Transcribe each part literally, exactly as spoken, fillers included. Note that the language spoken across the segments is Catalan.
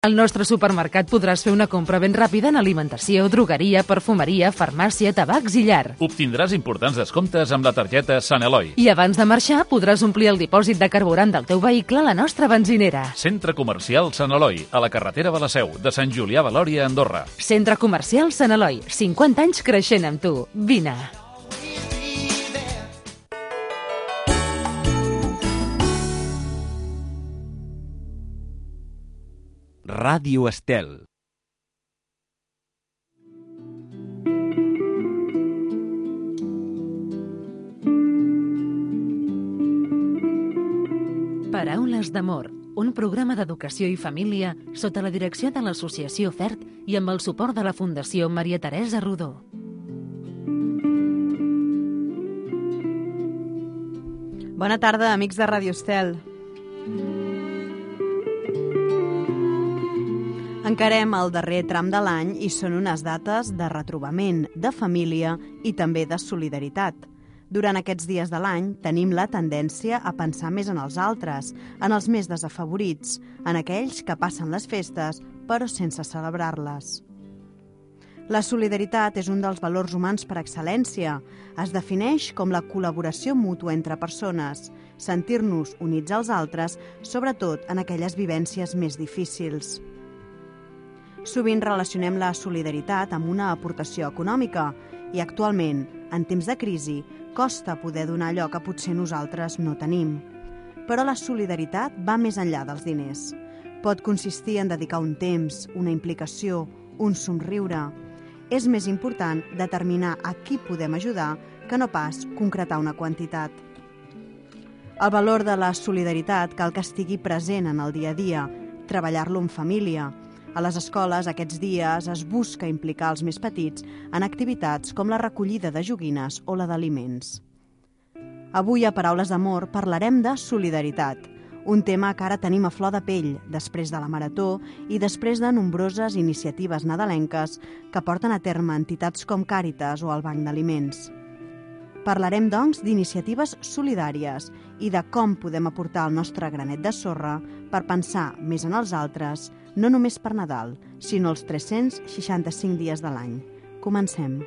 Al nostre supermercat podràs fer una compra ben ràpida en alimentació, drogueria, perfumeria, farmàcia, tabacs i llar. Obtindràs importants descomptes amb la targeta Sant Eloi. I abans de marxar podràs omplir el dipòsit de carburant del teu vehicle a la nostra benzinera. Centre Comercial Sant Eloi, a la carretera de la Seu, de Sant Julià de Lòria, Andorra. Centre Comercial Sant Eloi, cinquanta anys creixent amb tu. Vine! Ràdio Estel. Paraules d'amor, un programa d'educació i família sota la direcció de l'Associació FERT i amb el suport de la Fundació Maria Teresa Rodó. Bona tarda, amics de Ràdio Estel. Encarem el darrer tram de l'any i són unes dates de retrobament, de família i també de solidaritat. Durant aquests dies de l'any tenim la tendència a pensar més en els altres, en els més desafavorits, en aquells que passen les festes però sense celebrar-les. La solidaritat és un dels valors humans per excel·lència. Es defineix com la col·laboració mútua entre persones, sentir-nos units als altres, sobretot en aquelles vivències més difícils. Sovint relacionem la solidaritat amb una aportació econòmica i actualment, en temps de crisi, costa poder donar allò que potser nosaltres no tenim. Però la solidaritat va més enllà dels diners. Pot consistir en dedicar un temps, una implicació, un somriure. És més important determinar a qui podem ajudar que no pas concretar una quantitat. El valor de la solidaritat cal que estigui present en el dia a dia, treballar-lo en família. A les escoles, aquests dies, es busca implicar els més petits en activitats com la recollida de joguines o la d'aliments. Avui, a Paraules d'Amor, parlarem de solidaritat, un tema que ara tenim a flor de pell, després de la Marató i després de nombroses iniciatives nadalenques que porten a terme entitats com Càritas o el Banc d'Aliments. Parlarem, doncs, d'iniciatives solidàries i de com podem aportar el nostre granet de sorra per pensar més en els altres, no només per Nadal, sinó els tres-cents seixanta-cinc dies de l'any. Comencem.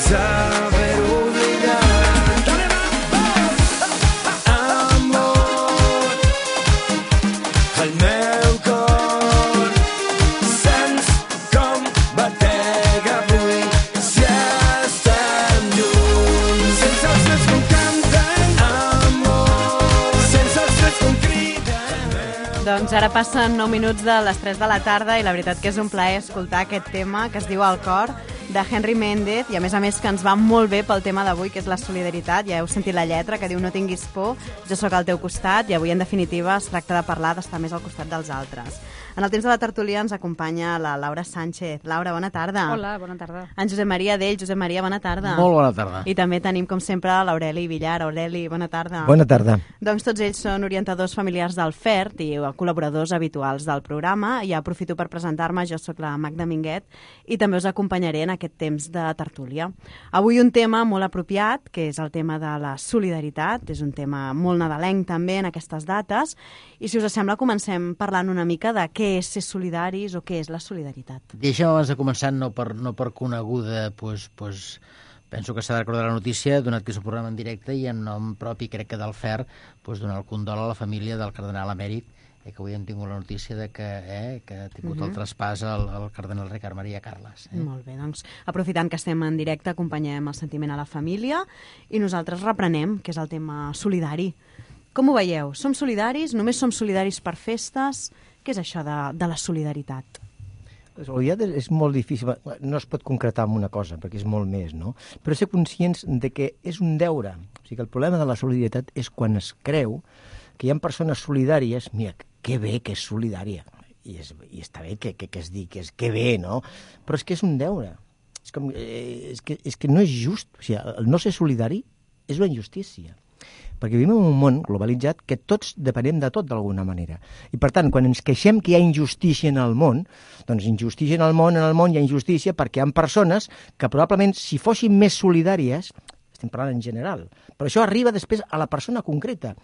Saber olvidar. Doncs ara passen nou minuts de les tres de la tarda i la veritat que és un plaer escoltar aquest tema que es diu El cor, de Henry Méndez, i a més a més que ens va molt bé pel tema d'avui, que és la solidaritat. Ja heu sentit la lletra, que diu no tinguis por, jo sóc al teu costat, i avui en definitiva es tracta de parlar d'estar més al costat dels altres. En el temps de la tertúlia ens acompanya la Laura Sánchez. Laura, bona tarda. Hola, bona tarda. En Josep Maria Dell. Josep Maria, bona tarda. Molt bona tarda. I també tenim, com sempre, l'Aureli Villar. Aureli, bona tarda. Bona tarda. Doncs tots ells són orientadors familiars del F E R T i col·laboradors habituals del programa. I aprofito per presentar-me, jo sóc la Magda Minguet i també us acompanyaré en aquest temps de tertúlia. Avui un tema molt apropiat, que és el tema de la solidaritat. És un tema molt nadalenc també en aquestes dates. I si us sembla, comencem parlant una mica de què és ser solidaris o què és la solidaritat. Deixa'm abans de començar, no per, no per coneguda, pues, pues, penso que s'ha de recordar la notícia, donat que és un programa en directe i en nom propi, crec que del F E R, pues, donar el condol a la família del cardenal emèrit, eh, que avui hem tingut la notícia de que, eh, que ha tingut uh-huh. el traspàs al, al cardenal Ricard Maria Carles. Eh? Molt bé, doncs aprofitant que estem en directe, acompanyem el sentiment a la família i nosaltres reprenem, que és el tema solidari. Com ho veieu? Som solidaris? Només som solidaris per festes? Què és això de, de la solidaritat? La solidaritat és molt difícil, no es pot concretar en una cosa, perquè és molt més, no? Però ser conscients de que és un deure. O sigui, el problema de la solidaritat és quan es creu que hi ha persones solidàries, mira, que bé que és solidària, i, és, i està bé que, que, que es digui que és que bé, no? Però és que és un deure. És, com, eh, és, que, és que no és just. O sigui, el no ser solidari és una injustícia. Perquè vivim en un món globalitzat que tots depenem de tot d'alguna manera. I per tant, quan ens queixem que hi ha injustícia en el món, doncs injustícia en el món, en el món hi ha injustícia perquè hi ha persones que probablement si fossin més solidàries, estem parlant en general, però això arriba després a la persona concreta.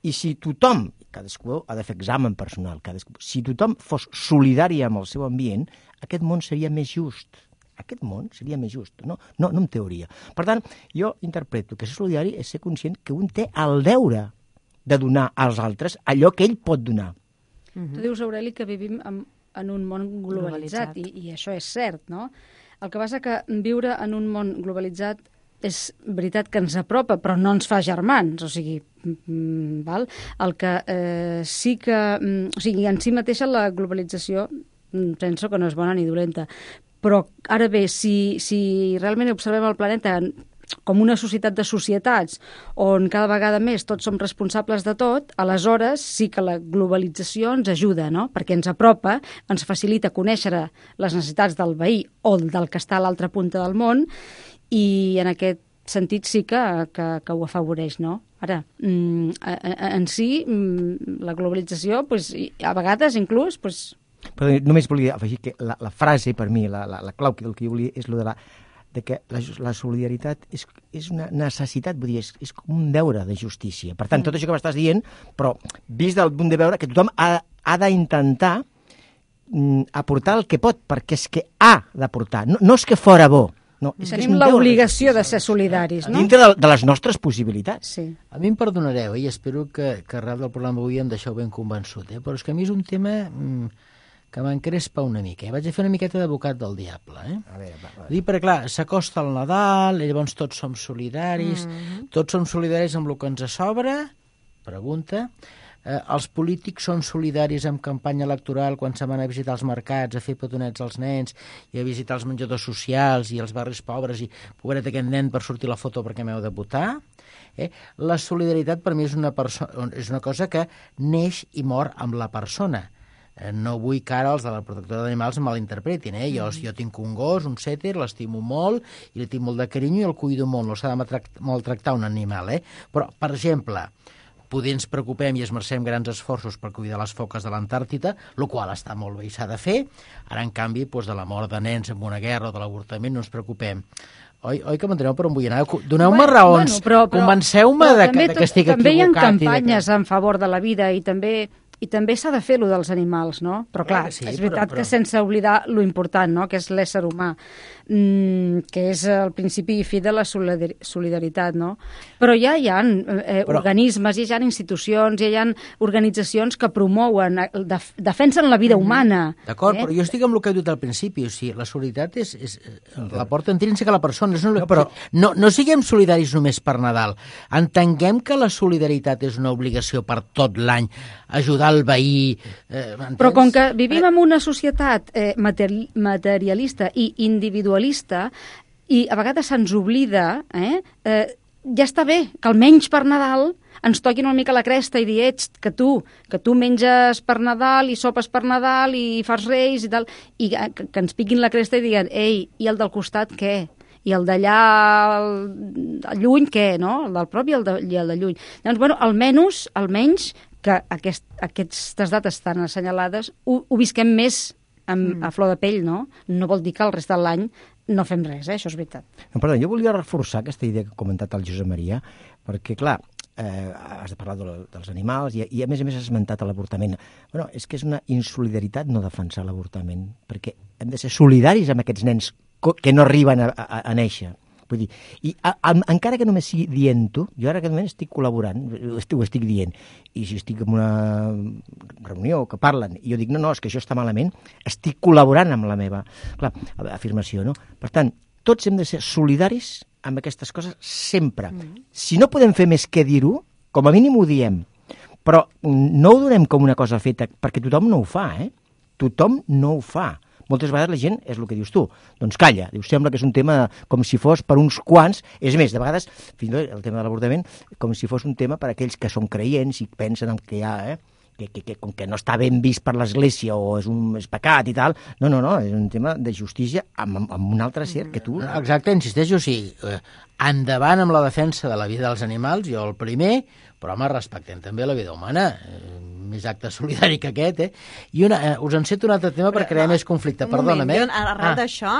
I si tothom, cadascú ha de fer examen personal, cadascú, si tothom fos solidari amb el seu ambient, aquest món seria més just. Aquest món seria més just, no? No, no en teoria. Per tant, jo interpreto que ser solidari és ser conscient que un té el deure de donar als altres allò que ell pot donar. Uh-huh. Tu dius, Aureli, que vivim en, en un món globalitzat, globalitzat. I, i això és cert, no? El que passa que viure en un món globalitzat és veritat que ens apropa, però no ens fa germans, o sigui, mm, val? El que eh, sí que... Mm, o sigui, en si mateixa la globalització mm, penso que no és bona ni dolenta, però ara bé, si, si realment observem el planeta com una societat de societats on cada vegada més tots som responsables de tot, aleshores sí que la globalització ens ajuda, no? Perquè ens apropa, ens facilita conèixer les necessitats del veí o del que està a l'altra punta del món i en aquest sentit sí que, que, que ho afavoreix, no? Ara, en si, la globalització, pues, a vegades inclús... Pues, però només volia afegir que la, la frase, per mi, la, la, la clau del que jo volia és lo de, la, de que la, la solidaritat és, és una necessitat, vull dir, és, és com un deure de justícia. Per tant, mm. tot això que m'estàs dient, però vist del punt de veure que tothom ha, ha d'intentar mm, aportar el que pot, perquè és que ha d'aportar, no, no és que fora bo. No, tenim l'obligació de ser solidaris, no? Dintre de, de les nostres possibilitats. Sí. A mi em perdonareu, eh? I espero que, que arrel del programa avui em deixeu ben convençut, eh? Però és que a mi és un tema... Mm, que m'encrespa una mica. Eh? Vaig a fer una miqueta d'advocat del diable. Eh? A veure, va, va. Dir, perquè clar, s'acosta el Nadal, i llavors tots som solidaris, mm-hmm. tots som solidaris amb el que ens sobra, pregunta, eh, els polítics són solidaris amb campanya electoral quan se van a visitar els mercats, a fer petonets als nens, i a visitar els menjadors socials i els barris pobres, i pobret aquest nen per sortir la foto perquè m'heu de votar. Eh? La solidaritat per mi és una, perso- és una cosa que neix i mor amb la persona. No vull que ara els de la protectora d'animals malinterpretin, eh? Jo, jo tinc un gos, un sèter, l'estimo molt i li tinc molt de carinyo i el cuido molt, no s'ha de maltractar un animal, eh? Però, per exemple, poder ens preocupem i esmercem grans esforços per cuidar les foques de l'Antàrtida, el qual està molt bé i s'ha de fer, ara, en canvi, doncs, de la mort de nens en una guerra o de l'avortament no ens preocupem. Oi, oi que m'enteneu per on vull anar? Doneu-me bueno, raons, bueno, però, però, convenceu-me de, que, de que estic equivocat. També hi ha campanyes que... en favor de la vida i també... I també s'ha de fer lo dels animals, no? Però clar, sí, és veritat però, però... que sense oblidar lo important, no? Que és l'ésser humà, mm, que és el principi i fi de la solidaritat, no? Però ja hi ha eh, però... organismes, ja hi ha institucions, ja hi ha organitzacions que promouen, def defensen la vida humana. D'acord, eh? Però jo estic amb el que he dit al principi, o sigui, la solidaritat és, és la porta intrínseca a la persona. No, no, però... no, no siguem solidaris només per Nadal. Entenguem que la solidaritat és una obligació per tot l'any, ajudar el veí... Eh, Però com que vivim en una societat eh, materi materialista i individualista, i a vegades se'ns oblida, eh, eh, ja està bé que almenys per Nadal ens toquin una mica la cresta i dir, ets, que tu, que tu menges per Nadal i sopes per Nadal i fas reis i tal, i que, que ens piquin la cresta i diguen, ei, i el del costat què? I el d'allà lluny què, no? El del prop i el de, i el de lluny. Doncs, bueno, almenys, almenys que aquest, aquestes dates tan assenyalades ho, ho visquem més amb, mm. a flor de pell, no? No vol dir que el rest de l'any no fem res, eh? Això és veritat. No, perdó, jo volia reforçar aquesta idea que ha comentat el Josep Maria, perquè, clar, eh, has de parlar de, dels animals i, i, a més a més, has esmentat l'avortament. Bueno, és que és una insolidaritat no defensar l'avortament, perquè hem de ser solidaris amb aquests nens que no arriben a, a, a néixer. Vull dir, i a, a, encara que només sigui dient-ho, jo ara aquest moment estic col·laborant, ho estic, ho estic dient, i si estic en una reunió que parlen, i jo dic, no, no, és que això està malament, estic col·laborant amb la meva clar, afirmació, no? Per tant, tots hem de ser solidaris amb aquestes coses sempre. Mm. Si no podem fer més que dir-ho, com a mínim ho diem, però no ho donem com una cosa feta, perquè tothom no ho fa, eh? Tothom no ho fa. Moltes vegades la gent és el que dius tu, doncs calla, dius, sembla que és un tema com si fos per uns quants, és més, de vegades, fins i tot el tema de l'avortament, com si fos un tema per a aquells que són creients i pensen en que hi ha, eh, que, que, que, com que no està ben vist per l'Església o és un és pecat i tal, no, no, no, és un tema de justícia amb, amb un altre ser que tu... Exacte, insisteixo, o sigui, eh, endavant amb la defensa de la vida dels animals, jo el primer, però home, respectem també la vida humana, eh, més acte solidari que aquest, eh? I una, eh, us enceto un altre tema per crear no, més conflicte, perdona'm, eh? Arrel ah. d'això,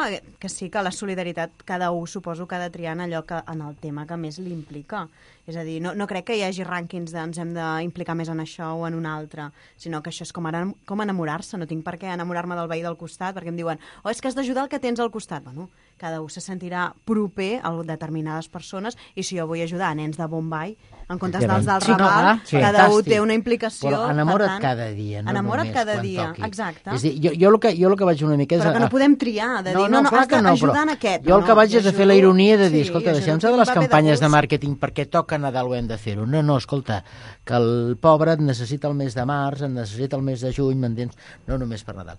que sí que la solidaritat, cada un suposo que ha de triar en allò que, en el tema que més li implica. És a dir, no, no crec que hi hagi rànquings de ens hem d'implicar més en això o en un altre, sinó que això és com, ara, com enamorar-se, no tinc per què enamorar-me del veí del costat, perquè em diuen, oh, és que has d'ajudar el que tens al costat. Bueno, cada un se sentirà proper a determinades persones, i si jo vull ajudar a nens de Bombay, en comptes dels del sí, Raval, no, sí, cada fantàstic. un té una implicació. Però enamora't tant, cada dia, no enamora't només cada quan dia, toqui. exacte. És dir, jo, jo, el que, jo el que vaig una mica és... Però que no podem triar, de dir, no, no, no, no has d'ajudar en aquest. Jo el que no, vaig és a fer la ironia de dir, sí, escolta, deixem-se de les de campanyes de, de màrqueting perquè toca Nadal ho hem de fer-ho. No, no, escolta, que el pobre et necessita el mes de març, et necessita el mes de juny, m'entens? No només per Nadal.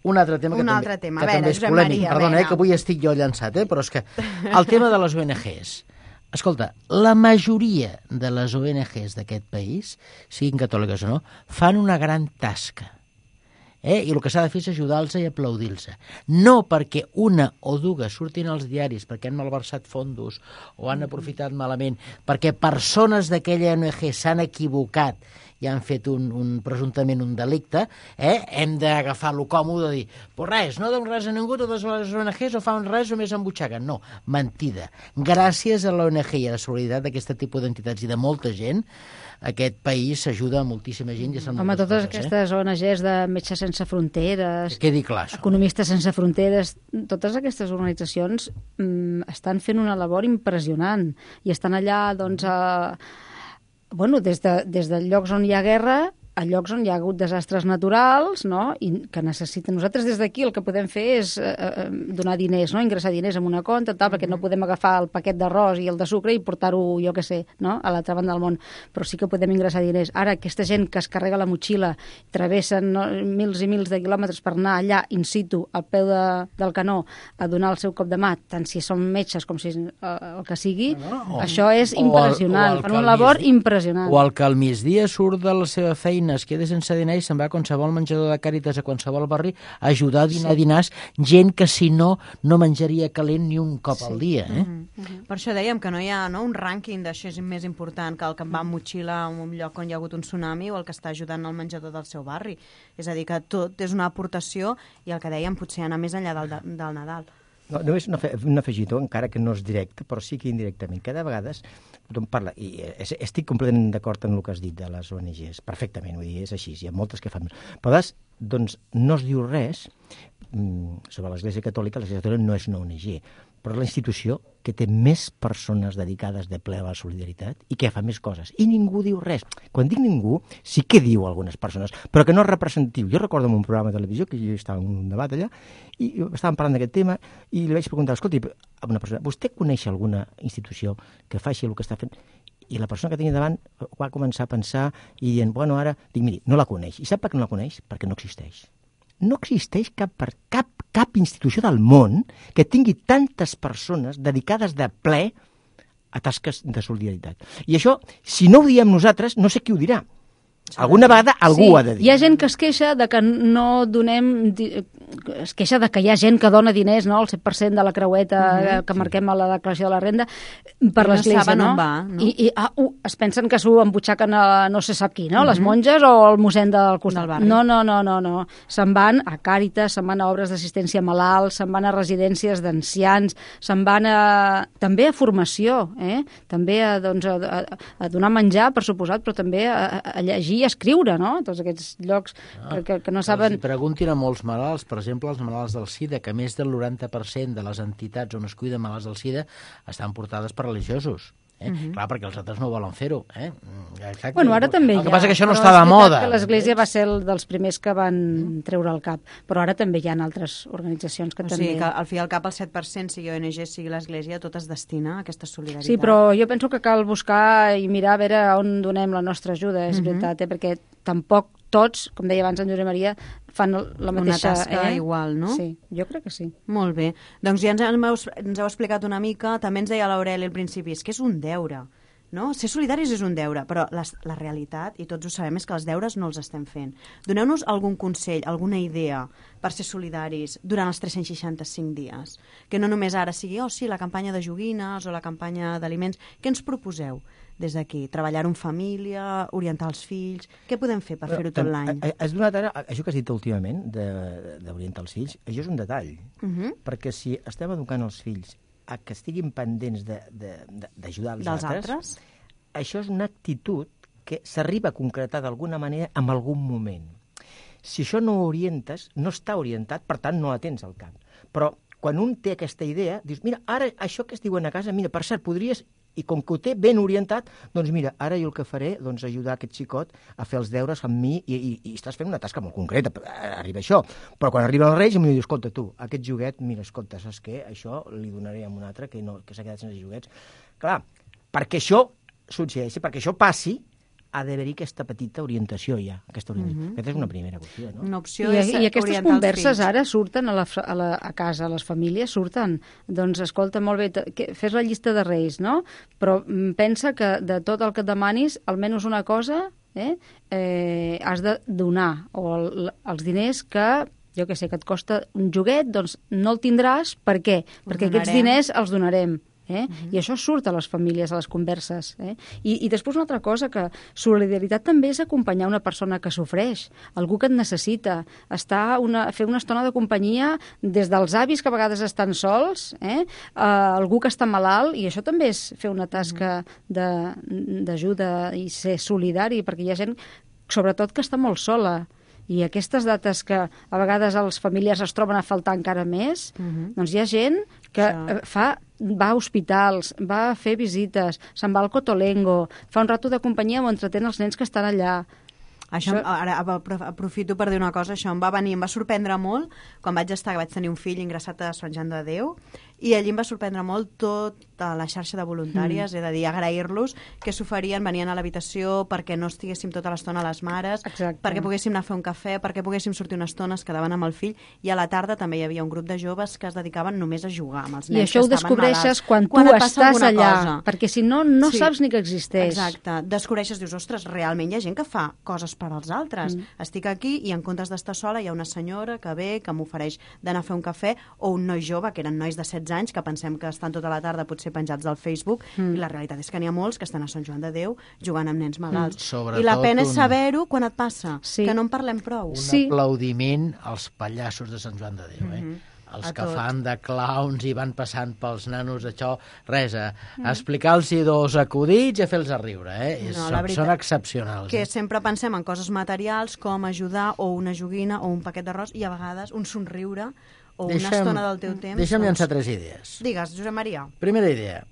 Un altre tema que, un també, altre tema. que veure, també és polèmic. Maria, Perdona, eh, que avui estic jo llançat, eh, però és que el tema de les O N Ges. Escolta, la majoria de les O N Ges d'aquest país, siguin catòliques o no, fan una gran tasca. Eh? I el que s'ha de fer és ajudar-los i aplaudir-los. No perquè una o dues surtin als diaris perquè han malversat fondos o han aprofitat malament, perquè persones d'aquella O N G s'han equivocat i han fet un, un presumptament un delicte, eh? Hem d'agafar-lo còmode de dir, pues res, no donen res a ningú, totes les O N Ges o fan res o més embutxaguen. No, mentida. Gràcies a l'O N G i a la solidaritat d'aquest tipus d'entitats i de molta gent, aquest país s'ajuda a moltíssima gent. I Home, totes coses, aquestes eh? O N Ges de Metges Sense Fronteres, que quedi clar, això. Economistes Sense Fronteres, totes aquestes organitzacions mm, estan fent una labor impressionant i estan allà, doncs, a, bueno, des, de, des de llocs on hi ha guerra a llocs on hi ha hagut desastres naturals, no? I que necessiten. Nosaltres des d'aquí el que podem fer és eh, donar diners, no? Ingressar diners en una compte, tal, perquè no podem agafar el paquet d'arròs i el de sucre i portar-ho, jo què sé, no? A l'altra banda del món. Però sí que podem ingressar diners. Ara, aquesta gent que es carrega la motxilla, travessen no, mils i mils de quilòmetres per anar allà, in situ, al peu de, del canó, a donar el seu cop de mà, tant si són metges com si eh, el que sigui, no, no. Això és impressionant. Fan una labor impressionant. O el que al migdia surt de la seva feina, es queda sense dinar i se'n va a qualsevol menjador de Càritas a qualsevol barri a ajudar a dinar sí. dinars gent que si no, no menjaria calent ni un cop sí. al dia. Eh? Uh-huh. Uh-huh. Per això dèiem que no hi ha no, un rànquing d'això és més important que el que va amb motxilla en un lloc on hi ha hagut un tsunami o el que està ajudant al menjador del seu barri. És a dir, que tot és una aportació i el que dèiem potser anar més enllà del, del Nadal. No, només un, afe, un afegitó, encara que no és directe, però sí que indirectament. Cada vegada tothom parla, i estic completament d'acord en el que has dit de les O N Ges, perfectament, vull dir, és així, hi ha moltes que fan. Però doncs no es diu res sobre l'Església Catòlica, l'Església Catòlica no és una O N G, però és la institució que té més persones dedicades de ple a la solidaritat i que fa més coses. I ningú diu res. Quan dic ningú, sí que diu algunes persones, però que no és representatiu. Jo recordo en un programa de televisió, que jo estava en un debat allà, i estàvem parlant d'aquest tema, i li vaig preguntar, escolti, a una persona, vostè coneix alguna institució que faci el que està fent? I la persona que tenia davant va començar a pensar i dient, bueno, ara... Dic, miri, no la coneix. I sap per què no la coneix? Perquè no existeix. No existeix cap, cap, cap institució del món que tingui tantes persones dedicades de ple a tasques de solidaritat. I això, si no ho diem nosaltres, no sé qui ho dirà. Alguna vegada algú sí, ha de dir. Hi ha gent que es queixa de que no donem... Es queixa de que hi ha gent que dona diners, no?, el set per cent de la creueta uh-huh, que marquem a la declaració de la renda per I l'església, no saben no? on va, no? I, i ah, uh, es pensen que s'ho embutxaquen a no se sap qui, no? Uh-huh. Les monges o el mossèn del costat. Del barri. No, no, no, no, no. Se'n van a Càritas, se'n van a obres d'assistència a malalts, se'n van a residències d'ancians, se'n van a... també a formació, eh? També a, doncs, a, a, a donar menjar, per suposat, però també a, a llegir i a escriure, no? Tots aquests llocs ah, que, que no saben... Els preguntin a molts malalts, per exemple, els malalts del SIDA, que més del noranta per cent de les entitats on es cuiden malalts del SIDA estan portades per religiosos. Eh? Uh-huh. Clar, perquè els altres no volen fer-ho. Eh? Exacte. Bueno, ara també el hi ha. que passa que això no però està de moda. que l'Església va ser el dels primers que van treure el cap, però ara també hi ha altres organitzacions que o també... sigui, que al fi i al cap el set per cent, sigui O N G, sigui l'Església, tot es destina a aquesta solidaritat. Sí, però jo penso que cal buscar i mirar a veure on donem la nostra ajuda, és uh-huh. veritat, eh? Perquè tampoc tots, com deia abans en Josep Maria, fan la mateixa... Una tasca eh? igual, no? Sí, jo crec que sí. Molt bé. Doncs ja ens heu, ens heu explicat una mica, també ens deia l'Aureli al principi, és que és un deure, no? Ser solidaris és un deure, però la, la realitat, i tots ho sabem, és que els deures no els estem fent. Doneu-nos algun consell, alguna idea per ser solidaris durant els tres-cents seixanta-cinc dies. Que no només ara sigui, oh sí, la campanya de joguines o la campanya d'aliments. Què ens proposeu des d'aquí? Treballar en família, orientar els fills... Què podem fer per fer-ho tot l'any? Has donat ara, això que has dit últimament, d'orientar els fills, això és un detall. Uh-huh. Perquè si estem educant els fills a que estiguin pendents d'ajudar els Dels altres, altres, això és una actitud que s'arriba a concretar d'alguna manera en algun moment. Si això no ho orientes, no està orientat, per tant no la tens al cap. Però quan un té aquesta idea, dius, mira, ara això que es diuen a casa, mira, per cert, podries... I com que ho té ben orientat, doncs mira, ara jo el que faré, doncs ajudar aquest xicot a fer els deures amb mi i, i, i estàs fent una tasca molt concreta, arriba això. Però quan arriba el Reis em diu, escolta tu, aquest joguet, mira, escolta, saps què? Això li donaré a un altre que, no, que s'ha quedat sense joguets. Clar, perquè això succeeixi, perquè això passi, ha d'haver-hi aquesta petita orientació ja, aquesta orientació. Uh-huh. Aquesta és una primera qüestió, no? Una opció I, és I aquestes orientar converses els fills. ara surten a, la, a, la, a casa, a les famílies surten. Doncs escolta, molt bé, que, fes la llista de Reis, no? Però pensa que de tot el que et demanis, almenys una cosa eh, eh, has de donar, o el, els diners que jo que sé, que et costa un joguet, doncs no el tindràs, per què? Perquè aquests diners els donarem. Eh? Uh-huh. I això surt a les famílies, a les converses. Eh? I, I després una altra cosa, que solidaritat també és acompanyar una persona que sofreix, algú que et necessita, estar una, fer una estona de companyia des dels avis que a vegades estan sols, eh? a algú que està malalt, i això també és fer una tasca d'ajuda i ser solidari, perquè hi ha gent, sobretot, que està molt sola. I aquestes dates que a vegades els familiars es troben a faltar encara més, uh-huh. doncs hi ha gent que Això. fa, va a hospitals, va a fer visites, se'n va al Cotolengo, fa un rato de companyia o entretén els nens que estan allà. Això, això... Ara aprofito per dir una cosa, això em va venir, em va sorprendre molt quan vaig estar, vaig tenir un fill ingressat a Sant Joan de Déu, i allí em va sorprendre molt tota la xarxa de voluntàries, mm. és a dir, agrair-los que s'oferien, venien a l'habitació perquè no estiguéssim tota l'estona a les mares, Exacte. perquè poguéssim anar a fer un cafè, perquè poguéssim sortir una estona, es quedaven amb el fill, i a la tarda també hi havia un grup de joves que es dedicaven només a jugar amb els nens. I això ho descobreixes quan tu quan estàs allà, cosa. perquè si no, no sí. saps ni que existeix. Exacte. Descobreixes, dius, ostres, realment hi ha gent que fa coses per als altres. Mm. Estic aquí i en comptes d'estar sola hi ha una senyora que ve, que m'ofereix d'anar a fer un cafè, o un noi jove, que eren nois de setze anys, que pensem que estan tota la tarda potser penjats al Facebook, mm. i la realitat és que n'hi ha molts que estan a Sant Joan de Déu jugant amb nens malalts. Mm. I la pena és un... saber-ho quan et passa, sí. que no en parlem prou. Un sí. aplaudiment als pallassos de Sant Joan de Déu, eh? Mm-hmm. Els a que tot. fan de clowns i van passant pels nanos, això, res, a, a explicar-los dos acudits i a fer-los a riure, eh? És, No, són, són excepcionals. Que eh? sempre pensem en coses materials, com ajudar, o una joguina, o un paquet d'arròs, i a vegades un somriure, o deixa'm, una estona del teu temps. Deixa'm doncs... llançar tres idees. Digues, Josep Maria. Primera idea.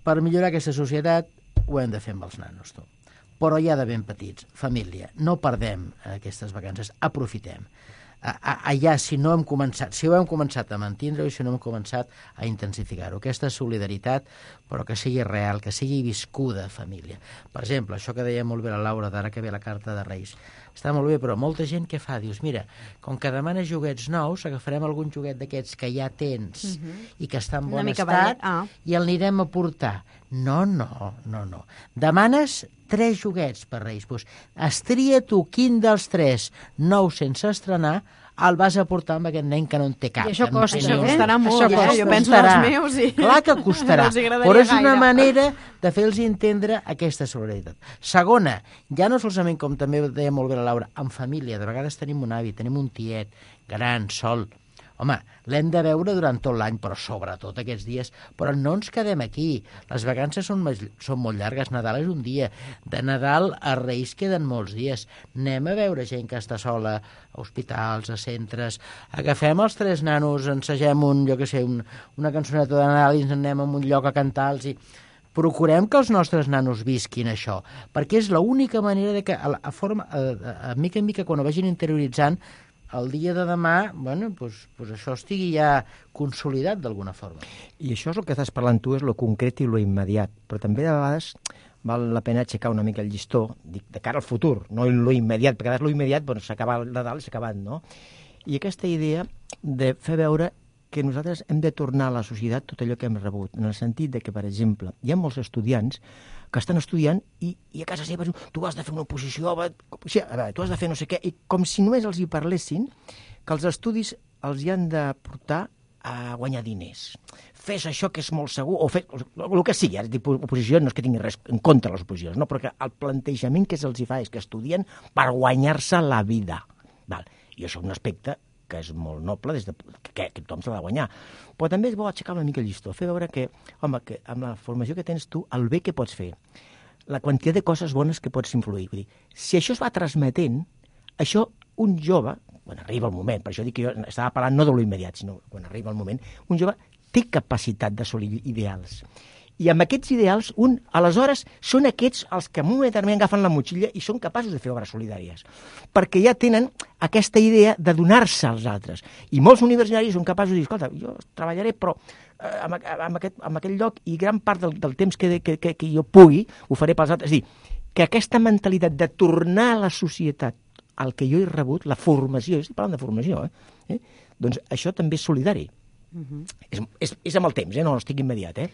Per millorar aquesta societat ho hem de fer amb els nanos, tu. Però ja de ben petits, família, no perdem aquestes vacances, aprofitem. allà, si no hem començat, si ho hem començat a mantindre-ho i si no hem començat a intensificar-ho. Aquesta solidaritat, però que sigui real, que sigui viscuda família. Per exemple, això que deia molt bé la Laura, d'ara que ve la carta de Reis, està molt bé, però molta gent què fa? Dius, mira, com que demanes joguets nous, agafarem algun joguet d'aquests que ja tens uh-huh. i que està en bon estat ah. i el anirem a portar. No, no, no, no. Demanes tres joguets per Reis. Pues, estria tu quin dels tres nous sense estrenar el vas a portar amb aquest nen que no en té cap. I això costa, això costarà molt, això costa. Jo penso als meus i... Clar que costarà, no però és una gaire. manera de fer-los entendre aquesta solidaritat. Segona, ja no solament, com també deia molt bé la Laura, en família, de vegades tenim un avi, tenim un tiet, gran, sol. Home, l'hem de veure durant tot l'any, però sobretot aquests dies. Però no ens quedem aquí. Les vacances són, són molt llargues. Nadal és un dia. De Nadal a Reis queden molts dies. Anem a veure gent que està sola a hospitals, a centres. Agafem els tres nanos, ensegem un, jo què sé, un, una cançoneta de Nadal i ens anem a un lloc a cantar-los i... Procurem que els nostres nanos visquin això, perquè és l'única manera de que, a, a, forma, a, a, a mica en mica, quan ho vagin interioritzant, el dia de demà, bueno, pues, pues això estigui ja consolidat d'alguna forma. I això és el que estàs parlant tu, és lo concret i lo immediat, però també de vegades val la pena aixecar una mica el llistó, dic, de cara al futur, no lo immediat, perquè a vegades lo immediat, bueno, s'acaba el Nadal i s'ha acabat, no? I aquesta idea de fer veure que nosaltres hem de tornar a la societat tot allò que hem rebut, en el sentit de que, per exemple, hi ha molts estudiants que estan estudiant i, i a casa seva tu has de fer una oposició, a veure, tu has de fer no sé què, i com si només els hi parlessin que els estudis els hi han de portar a guanyar diners. Fes això que és molt segur, o fes el que sigui, ara dic oposició, no és que tingui res en contra de les oposicions, no, però que el plantejament que se'ls hi fa és que estudien per guanyar-se la vida. Val. I això és un aspecte que és molt noble, des de, que, que tothom s'ha de guanyar. Però també és bo aixecar una mica el llistó, fer veure que, home, que amb la formació que tens tu, el bé que pots fer, la quantitat de coses bones que pots influir. Vull dir, si això es va transmetent, això un jove, quan arriba el moment, per això dic que jo estava parlant no de lo immediat, sinó quan arriba el moment, un jove té capacitat d'assolir ideals. I amb aquests ideals, un, aleshores, són aquests els que en un moment determinat agafen la motxilla i són capaços de fer obres solidàries. Perquè ja tenen aquesta idea de donar-se als altres. I molts universitaris són capaços de dir, escolta, jo treballaré, però eh, en, en, aquest, en aquest lloc i gran part del, del temps que, que, que, que jo pugui ho faré pels altres. És dir, que aquesta mentalitat de tornar a la societat al que jo he rebut, la formació, estic parlant de formació, eh? Eh? Doncs això també és solidari. Uh-huh. És, és, és amb el temps, eh? No estic immediat. Eh?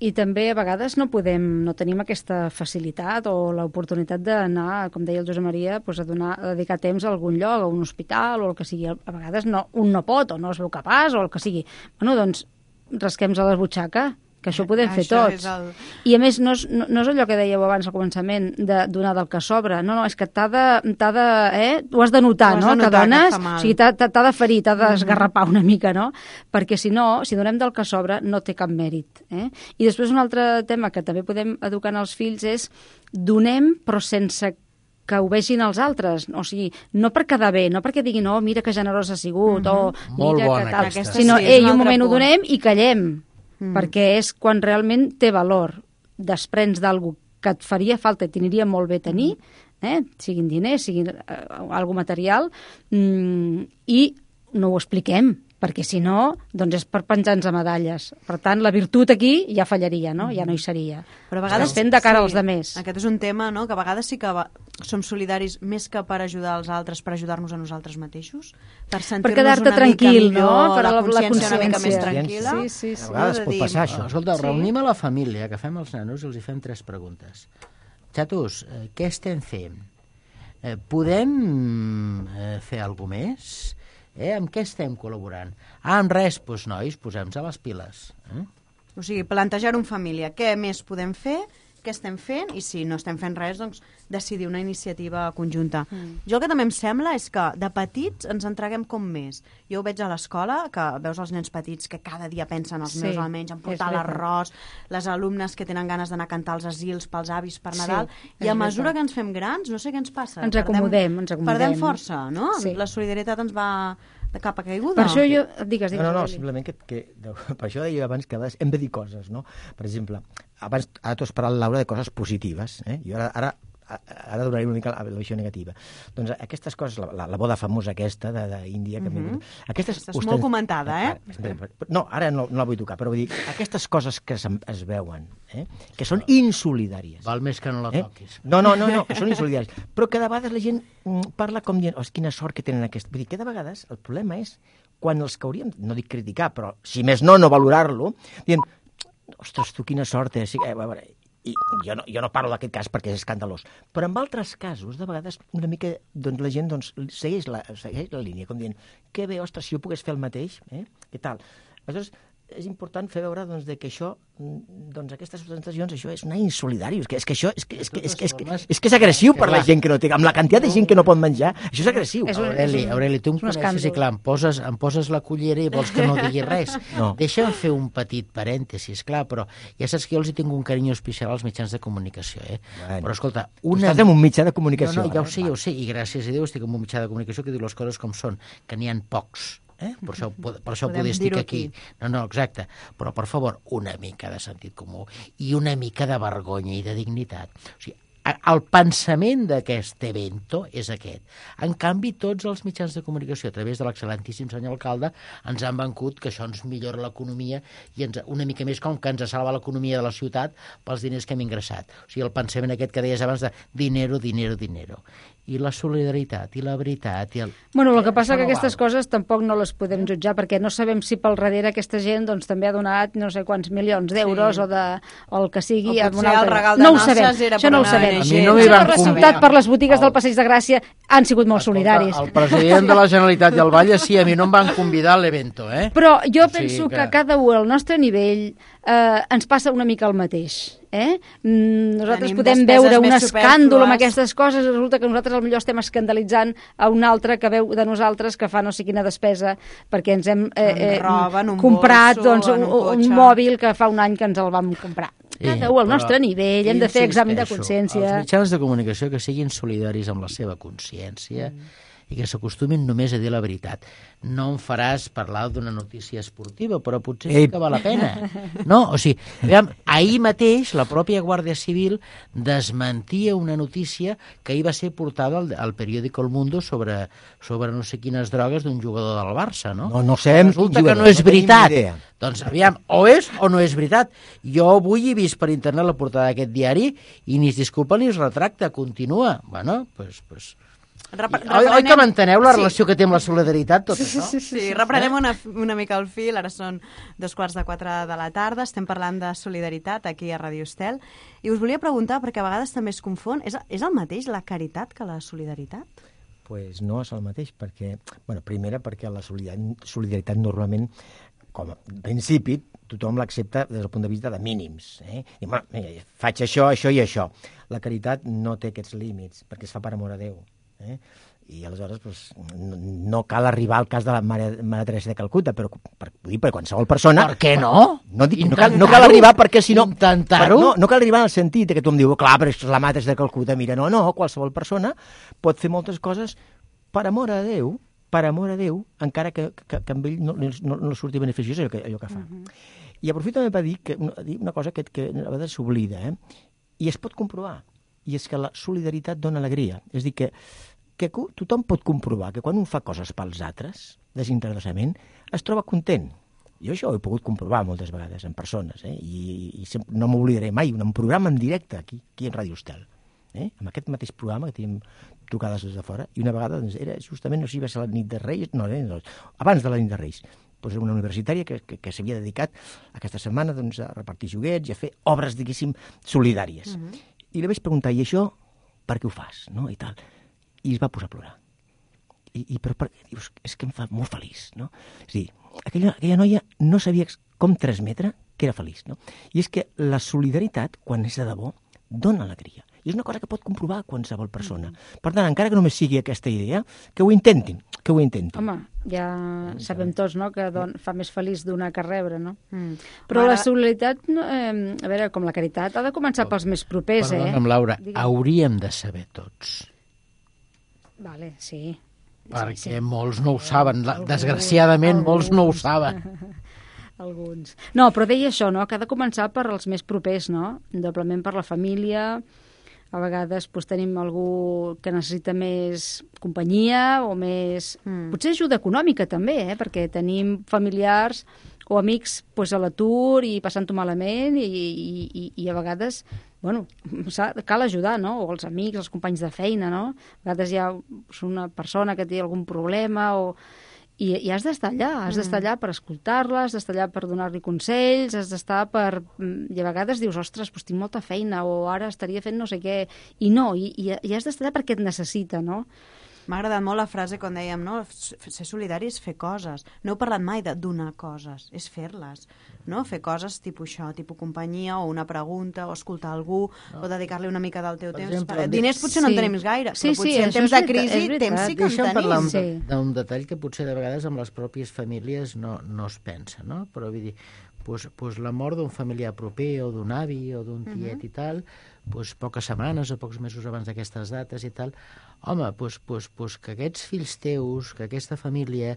I també a vegades no podem, no tenim aquesta facilitat o l'oportunitat d'anar, com deia el Josep Maria, pues a, donar, a dedicar temps a algun lloc, a un hospital o el que sigui. A vegades no, un no pot o no es veu capaç o el que sigui. Bueno, doncs rasquem-nos a la butxaca, que això ho podem fer això tots. El... I a més, no és, no, no és allò que dèieu abans al començament, de donar del que sobra. No, no, és que t'ha de... T'ha de eh? Ho has de notar, has no? De notar que dones, que o sigui, t'ha de ferir, t'ha d'esgarrapar una mica, no? Perquè si no, si donem del que sobra, no té cap mèrit. Eh? I després un altre tema que també podem educar als fills és donem, però sense que ho vegin els altres, o sigui, no per quedar bé, no perquè diguin, oh, mira que generós ha sigut, mm-hmm. o Molt mira bona que tal, aquesta. sinó, Sí, ei, un un moment punt. ho donem i callem, mm. perquè és quan realment té valor, desprens d'algú que et faria falta, et t'aniria molt bé tenir, eh? Siguin diners, siguin eh, algo material, mm, i no ho expliquem, perquè si no, doncs és per penjar-nos a medalles. Per tant, la virtut aquí ja fallaria, no? Ja no hi seria. Però a vegades... Es fent de cara sí, als demés. Aquest és un tema, no?, que a vegades sí que va... som solidaris més que per ajudar els altres, per ajudar-nos a nosaltres mateixos, per per sentir-nos quedar-te una tranquil, mica millor, no? Per la, la, la consciència una mica més consciència. tranquil·la. Sí, sí, sí. A vegades de pot dir, passar això. Oh, escolta, Sí. reunim a la família, agafem els nanos i els hi fem tres preguntes. Xatos, eh, què estem fent? Eh, podem eh, fer alguna més? Eh, amb què estem col·laborant? Ah, amb res, doncs nois, posem-nos a les piles. Eh? O sigui, plantejar-ho en família. Què més podem fer? Què estem fent? I si no estem fent res, doncs decidir una iniciativa conjunta. Mm. Jo el que també em sembla és que de petits ens entreguem com més. Jo ho veig a l'escola, que veus els nens petits que cada dia pensen, els Sí, meus almenys, en portar és veritat. l'arròs, les alumnes que tenen ganes d'anar a cantar als asils pels avis per Nadal, Sí, i és a mesura veritat. que ens fem grans, no sé què ens passa. Ens acomodem, ens acomodem. Perdem força, no? Sí. La solidaritat ens va de cap a caiguda. Per això jo... Digues, digues. No, no, no, Eli. simplement que, que de, per això deia abans que a vegades hem de dir coses, no? Per exemple, abans, ara tu has parlat, Laura, de coses positives, eh? Jo ara, ara ara donaré una mica la, la visió negativa. Doncs aquestes coses, la, la, la boda famosa aquesta d'Índia... Que mm -hmm. aquestes és molt comentada, eh? Ara, no, ara no, no la vull tocar, però vull dir, aquestes coses que es, es veuen, eh? que són insolidàries. Val més que no la toquis. Eh? No, no, no, no, que són insolidàries. Però que de vegades la gent parla com dient, oh, quina sort que tenen aquest... Vull dir, que de vegades el problema és quan els que hauríem, no dic criticar, però si més no, no valorar-lo, dient, ostres, tu quina sort és... Eh, a veure, i jo no, jo no parlo d'aquest cas perquè és escandalós, però en altres casos, de vegades, una mica, doncs, la gent doncs, segueix, la, segueix la línia, com dient, que bé, ostres, si jo pogués fer el mateix, eh? Què tal? Aleshores, és important fer veure doncs, de que això, doncs, aquestes presentacions, això és una insolidària, és que, és que això és que és, que, és, que, és, que, és, que és agressiu per la gent que no té, amb la quantitat de gent que no pot menjar, això és agressiu. Aureli, Aureli, tu em coneixes i clar, em poses, em poses la cullera i vols que no digui res. No. Deixa'm fer un petit parèntesis, clar, però ja saps que jo els hi tinc un carinyo especial als mitjans de comunicació, eh? Bueno, però escolta, una... Tu estàs en un mitjà de comunicació. No, no, ja ho sé, ja ho sé, i gràcies a Déu estic en un mitjà de comunicació que diu les coses com són, que n'hi ha pocs. Eh? Per això, per això poder estic aquí. aquí. No, no, exacte. Però, per favor, una mica de sentit comú i una mica de vergonya i de dignitat. O sigui, el pensament d'aquest evento és aquest. En canvi, tots els mitjans de comunicació, a través de l'excel·lentíssim senyor alcalde, ens han vencut que això ens millora l'economia i ens, una mica més com que ens salva l'economia de la ciutat pels diners que hem ingressat. O sigui, el pensament aquest que deies abans de dinero, dinero, dinero. I la solidaritat, i la veritat... I el... Bueno, el que passa que aquestes coses tampoc no les podem jutjar, perquè no sabem si pel darrere aquesta gent doncs, també ha donat no sé quants milions d'euros sí. o, de, o el que sigui... O potser el regal de no noces era això no ho sabem. A mi no m'hi van resultat per les botigues del Passeig de Gràcia han sigut molt solidaris. El president de la Generalitat i el Valle sí, a mi no em van convidar a l'evento, eh? Però jo penso que... que cada un al nostre nivell eh, ens passa una mica el mateix. Eh? Nosaltres Tenim podem veure un escàndol amb superflues. aquestes coses, resulta que nosaltres potser estem escandalitzant a un altre que veu de nosaltres que fa no sé quina despesa perquè ens hem eh, eh, roben un comprat bolso, doncs, un, un, un mòbil que fa un any que ens el vam comprar. Cada un al però nostre nivell, hem de fer examen de consciència. Els mitjans de comunicació que siguin solidaris amb la seva consciència mm. i que s'acostumin només a dir la veritat. No em faràs parlar d'una notícia esportiva, però potser sí que val la pena. No, o sigui, aviam, ahir mateix la pròpia Guàrdia Civil desmentia una notícia que ahir va ser portada al, al periòdico El Mundo sobre, sobre no sé quines drogues d'un jugador del Barça, no? No, no sabem Resulta quin que jugador, no és no tenim veritat. ni idea. Doncs aviam, o és o no és veritat. Jo avui he vist per internet la portada d'aquest diari i ni es disculpa ni es retracta, continua. Bueno, doncs... Pues, Repre oi, oi que m'enteneu la sí. relació que té amb la solidaritat, tot sí, això? Sí, sí, sí. Reprenem una, una mica el fil, ara són dos quarts de quatre de la tarda, estem parlant de solidaritat aquí a Ràdio Estel, i us volia preguntar, perquè a vegades també es confon, és, és el mateix la caritat que la solidaritat? Pues no és el mateix, perquè, bueno, primera perquè la solidaritat, solidaritat normalment, com a principi, tothom l'accepta des del punt de vista de mínims. Eh? I, bueno, faig això, això i això. La caritat no té aquests límits, perquè es fa per amor a Déu. Eh? I aleshores pues, no, no cal arribar al cas de la Mare, Mare Teresa de Calcuta, però per, dir, per qualsevol persona... Per què no? No, dic, no, cal, no cal arribar perquè si no... Intentar-ho? No, no cal arribar en el sentit que tu em dius, clar, però és la Mare Teresa de Calcuta, mira, no, no, qualsevol persona pot fer moltes coses per amor a Déu, per amor a Déu, encara que, que, que amb ell no, no, no surti beneficiós allò que, allò que fa. Uh -huh. I aprofito també per dir, que, dir una cosa que, que a vegades s'oblida, eh? I es pot comprovar, i és que la solidaritat dona alegria. És a dir, que que tothom pot comprovar que quan un fa coses pels altres, desinteressadament, es troba content. Jo això ho he pogut comprovar moltes vegades en persones, eh? I, i sempre, no m'oblidaré mai, un programa en directe aquí, aquí en Ràdio Estel, eh? Amb aquest mateix programa que tenim trucades des de fora, i una vegada doncs, era justament, no sé si va ser la nit de Reis, no, no, abans de la nit de Reis, doncs una universitària que, que, que s'havia dedicat aquesta setmana doncs, a repartir joguets i a fer obres, diguéssim, solidàries. Uh-huh. I li vaig preguntar, i això per què ho fas? No? I tal. I es va posar a plorar. I, i però, per, dius, és que em fa molt feliç, no? És a dir, aquella, aquella noia no sabia com transmetre que era feliç, no? I és que la solidaritat, quan és de debò, dona alegria. I és una cosa que pot comprovar qualsevol persona. Per tant, encara que només sigui aquesta idea, que ho intentin, que ho intentin. Home, ja sabem tots, no?, que don, fa més feliç donar que rebre, no? Mm. Però Ara... la solidaritat, no, eh, a veure, com la caritat, ha de començar pels més propers, eh? Perdona'm, Laura, Digue'm. Hauríem de saber tots. Vale, sí. Perquè sí, sí. molts no ho saben. Alguns, Desgraciadament, alguns. molts no ho saben. Alguns. No, però deia això, no?, que ha de començar per als més propers, no? Doblement per la família, A vegades doncs, tenim algú que necessita més companyia o més... Mm. Potser ajuda econòmica també, eh? Perquè tenim familiars o amics doncs, a l'atur i passant-ho malament i, i, i, i a vegades... Bueno, cal ajudar, no? O els amics, els companys de feina, no? A vegades hi ha una persona que té algun problema o... I, i has d'estar allà, has mm. d'estar allà per escoltar-la, has d'estar allà per donar-li consells, has d'estar per... I a vegades dius, ostres, doncs tinc molta feina, o ara estaria fent no sé què, i no, i, i, i has d'estar allà perquè et necessita, no? M'ha agradat molt la frase quan dèiem, no? Ser solidari és fer coses. No heu parlat mai de donar coses, és fer-les, no? Fer coses tipus això, tipus companyia, o una pregunta, o escoltar algú, no. o dedicar-li una mica del teu per temps. Exemple, diners potser sí. no en tenim gaire, sí, però potser sí, en temps de crisi, temps sí que en tenim. Deixa'm parlar sí. d'un detall que potser de vegades amb les pròpies famílies no, no es pensa, no? Però vull dir, pues, pues la mort d'un familiar proper, o d'un avi, o d'un tiet uh-huh. i tal, pues, poques setmanes o pocs mesos abans d'aquestes dates i tal, home, pues, pues, pues, que aquests fills teus, que aquesta família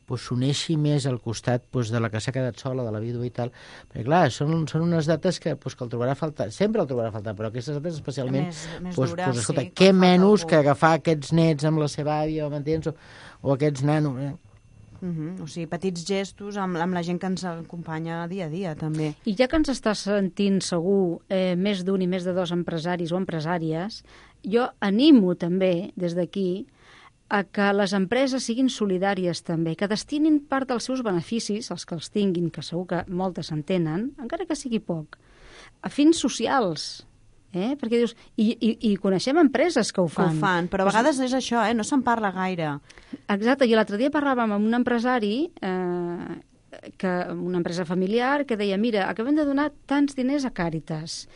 pues, s'uneixi més al costat pues, de la que s'ha quedat sola, de la vídua i tal, perquè clar, són, són unes dates que, pues, que el trobarà a faltar, sempre el trobarà a faltar, però aquestes dates especialment, més, més pues, dures, pues, escolta, sí, què menys que agafar aquests nets amb la seva àvia, m'entens, o, o aquests nanos, eh? Uh-huh. O sigui, petits gestos amb, amb la gent que ens acompanya dia a dia, també. I ja que ens està sentint segur eh, més d'un i més de dos empresaris o empresàries, jo animo també, des d'aquí, a que les empreses siguin solidàries també, que destinin part dels seus beneficis, els que els tinguin, que segur que moltes en tenen, encara que sigui poc, a fins socials. Eh? Perquè dius, i, i, i coneixem empreses que ho fan. Que ho fan, però a vegades és això, eh? No se'n parla gaire. Exacte, i l'altre dia parlàvem amb un empresari, eh, que, una empresa familiar, que deia, mira, acabem de donar tants diners a Càritas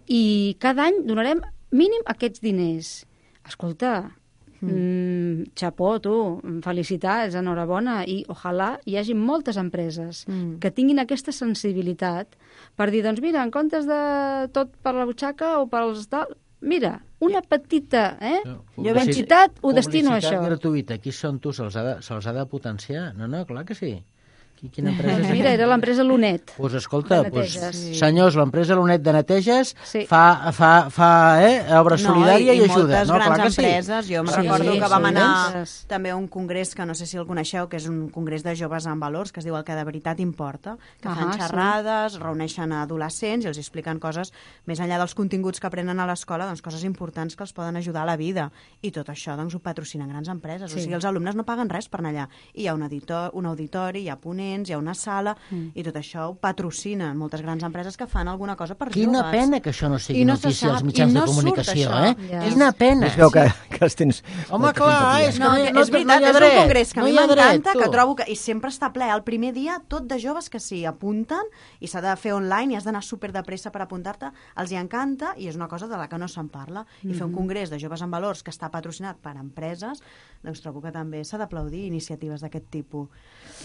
i cada any donarem mínim aquests diners. Escolta, mm. xapó, tu, felicitats, enhorabona, i ojalà hi hagi moltes empreses mm. que tinguin aquesta sensibilitat per dir, doncs mira, en comptes de tot per la butxaca o pels tal, mira, una petita eh, no, quantitat ho destino a això. Publicitat gratuïta, qui són tu? Se'ls ha, de, se ha de potenciar? No, no, clar que sí. Quina empresa és? Mira, era l'empresa Lunet. Doncs pues escolta, pues, sí. senyors, l'empresa Lunet de neteges sí. fa, fa, fa eh, obra no, solidària i, i, i ajuda. moltes no, grans clar que empreses. Sí. Jo em sí, recordo sí, que vam sí, anar sí. també a un congrés que no sé si el coneixeu, que és un congrés de joves amb valors, que es diu El que de veritat importa, que uh-huh, fan xerrades, sí. reuneixen a adolescents i els expliquen coses, més enllà dels continguts que aprenen a l'escola, doncs coses importants que els poden ajudar a la vida. I tot això doncs, ho patrocinen grans empreses. Sí. O sigui, els alumnes no paguen res per anar allà. I hi ha un, editor, un auditori, hi ha ponents, hi ha una sala, Mm. i tot això ho patrocinen moltes grans empreses que fan alguna cosa per Quina joves. Quina pena que això no sigui no notícia als sap, mitjans no de comunicació, surt, eh? Ja. Quina pena. Es veu que, que els tens... Home, clar, és que no, no, no, no, és veritat, no hi ha és dret. un congrés que a no mi m'encanta, que tu. trobo que... I sempre està ple. El primer dia, tot de joves que s'hi apunten, i s'ha de fer online, i has d'anar super de pressa per apuntar-te, els hi encanta, i és una cosa de la que no se'n parla. I mm-hmm. fer un congrés de joves amb valors que està patrocinat per empreses, doncs trobo que també s'ha d'aplaudir iniciatives d'aquest tipus.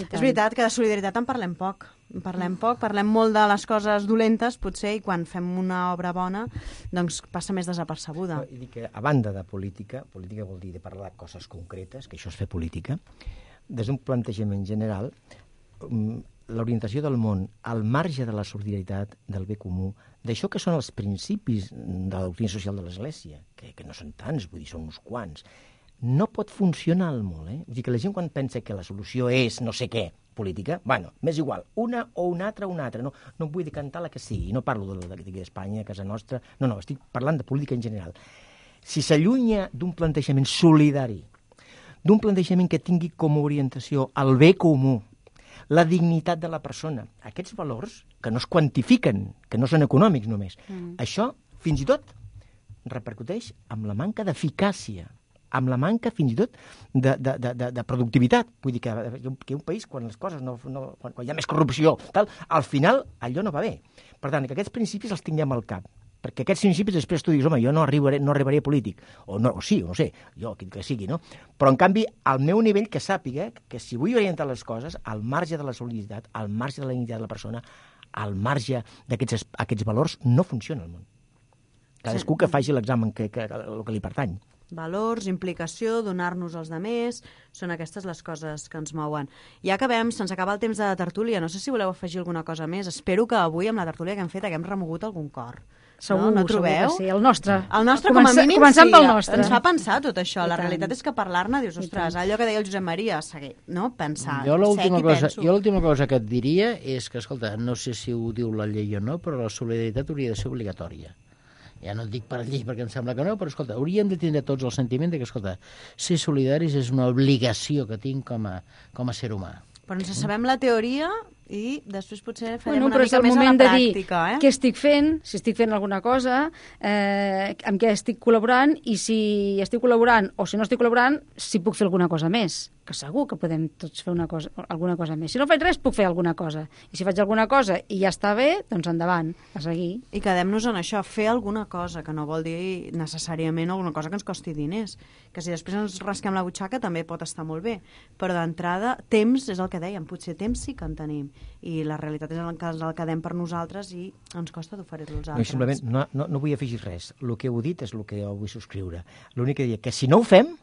És veritat que de solidaritat en parlem poc. En parlem poc, parlem molt de les coses dolentes, potser, i quan fem una obra bona, doncs passa més desapercebuda. I dic que, a banda de política, política vol dir de parlar de coses concretes, que això és fer política, des d'un plantejament general, l'orientació del món al marge de la solidaritat, del bé comú, d'això que són els principis de la doctrina social de l'Església, que, que no són tants, vull dir, són uns quants, no pot funcionar al món, eh? Vull dir que la gent quan pensa que la solució és no sé què, política, bueno, m'és igual, una o una altra o una altra, no, no vull decantar la que sigui, no parlo d'Espanya, casa nostra, no, no, estic parlant de política en general. Si s'allunya d'un plantejament solidari, d'un plantejament que tingui com a orientació el bé comú, la dignitat de la persona, aquests valors que no es quantifiquen, que no són econòmics només, mm. això, fins i tot, repercuteix amb la manca d'eficàcia, amb la manca, fins i tot, de, de, de, de productivitat. Vull dir que, que un país, quan les coses no, no, quan, quan hi ha més corrupció, tal, al final allò no va bé. Per tant, que aquests principis els tinguem al cap. Perquè aquests principis després tu dius, home, jo no arribaré, no arribaré polític. O, no, o sí, o no sé, jo, que, que sigui, no? Però, en canvi, al meu nivell, que sàpiga que si vull orientar les coses, al marge de la solidaritat, al marge de la dignitat de la persona, al marge d'aquests aquests valors, no funciona el món. Cadascú que faci l'examen que, que, que, que li pertany. Valors, implicació, donar-nos als demés, són aquestes les coses que ens mouen. Ja acabem, se'ns acaba el temps de tertúlia, no sé si voleu afegir alguna cosa més. Espero que avui amb la tertúlia que hem fet haguem remogut algun cor. Segur, no, no segur trobeu? que sí. El nostre. El nostre, Comença, com a mínim, començant sí. pel nostre. Ens fa pensar tot això. I La tant. realitat és que parlar-ne dius, ostres, allò que deia el Josep Maria, seguir, no? Pensar, Jo l'última sec i cosa, penso. jo l'última cosa que et diria és que, escolta, no sé si ho diu la llei o no, però la solidaritat hauria de ser obligatòria. Ja no et dic per llei perquè em sembla que no, però, escolta, hauríem de tindre tots el sentiment de que, escolta, ser solidaris és una obligació que tinc com a, com a ser humà. Però ens sabem la teoria i després potser farem Bueno, una però és mica el més a la moment de dir pràctica, eh? què estic fent, si estic fent alguna cosa, eh, amb què estic col·laborant i si estic col·laborant o si no estic col·laborant, si puc fer alguna cosa més, que segur que podem tots fer una cosa, alguna cosa més. Si no faig res, puc fer alguna cosa. I si faig alguna cosa i ja està bé, doncs endavant, a seguir. I quedem-nos en això, fer alguna cosa, que no vol dir necessàriament alguna cosa que ens costi diners, que si després ens rasquem la butxaca també pot estar molt bé, però d'entrada, temps és el que dèiem, potser temps sí que en tenim, i la realitat és el que ens el quedem per nosaltres i ens costa d'oferir-lo als No, altres. simplement no, no, no vull afegir res. El que heu dit és el que jo vull subscriure. L'únic que dic que si no ho fem,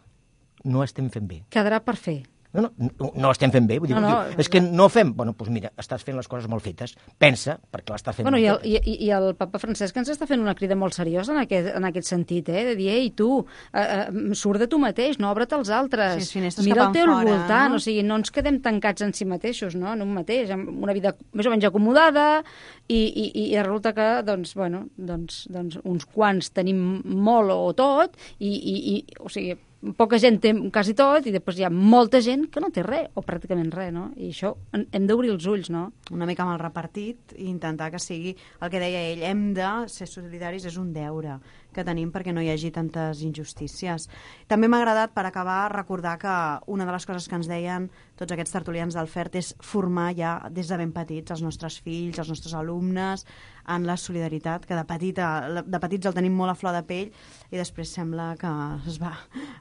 no estem fent bé. Quedarà per fer. No, no, no, no estem fent bé. Vull dir, No, no, diu, és que no ho fem. Bueno, doncs mira, estàs fent les coses molt fetes. Pensa, perquè l'estàs fent Bueno, i, el, molt fetes. i, I el papa Francesc ens està fent una crida molt seriosa en aquest, en aquest sentit, eh? De dir, ei, tu, eh, eh, surt de tu mateix, no obre't als altres, Sí, finestres mira cap el teu enfora, voltant, no? o sigui, no ens quedem tancats en si mateixos, no? En un mateix, amb una vida més o menys acomodada, i, i, i resulta que, doncs, bueno, doncs, doncs uns quants tenim molt o tot, i, i, i o sigui, poca gent té quasi tot i després hi ha molta gent que no té res o pràcticament res, no? I això hem d'obrir els ulls, no? Una mica mal repartit i intentar que sigui el que deia ell, hem de ser solidaris, és un deure que tenim perquè no hi hagi tantes injustícies. També m'ha agradat, per acabar, recordar que una de les coses que ens deien tots aquests tertulians del FERT és formar ja des de ben petits els nostres fills, els nostres alumnes, en la solidaritat, que de, petita, de petits el tenim molt a flor de pell i després sembla que es va,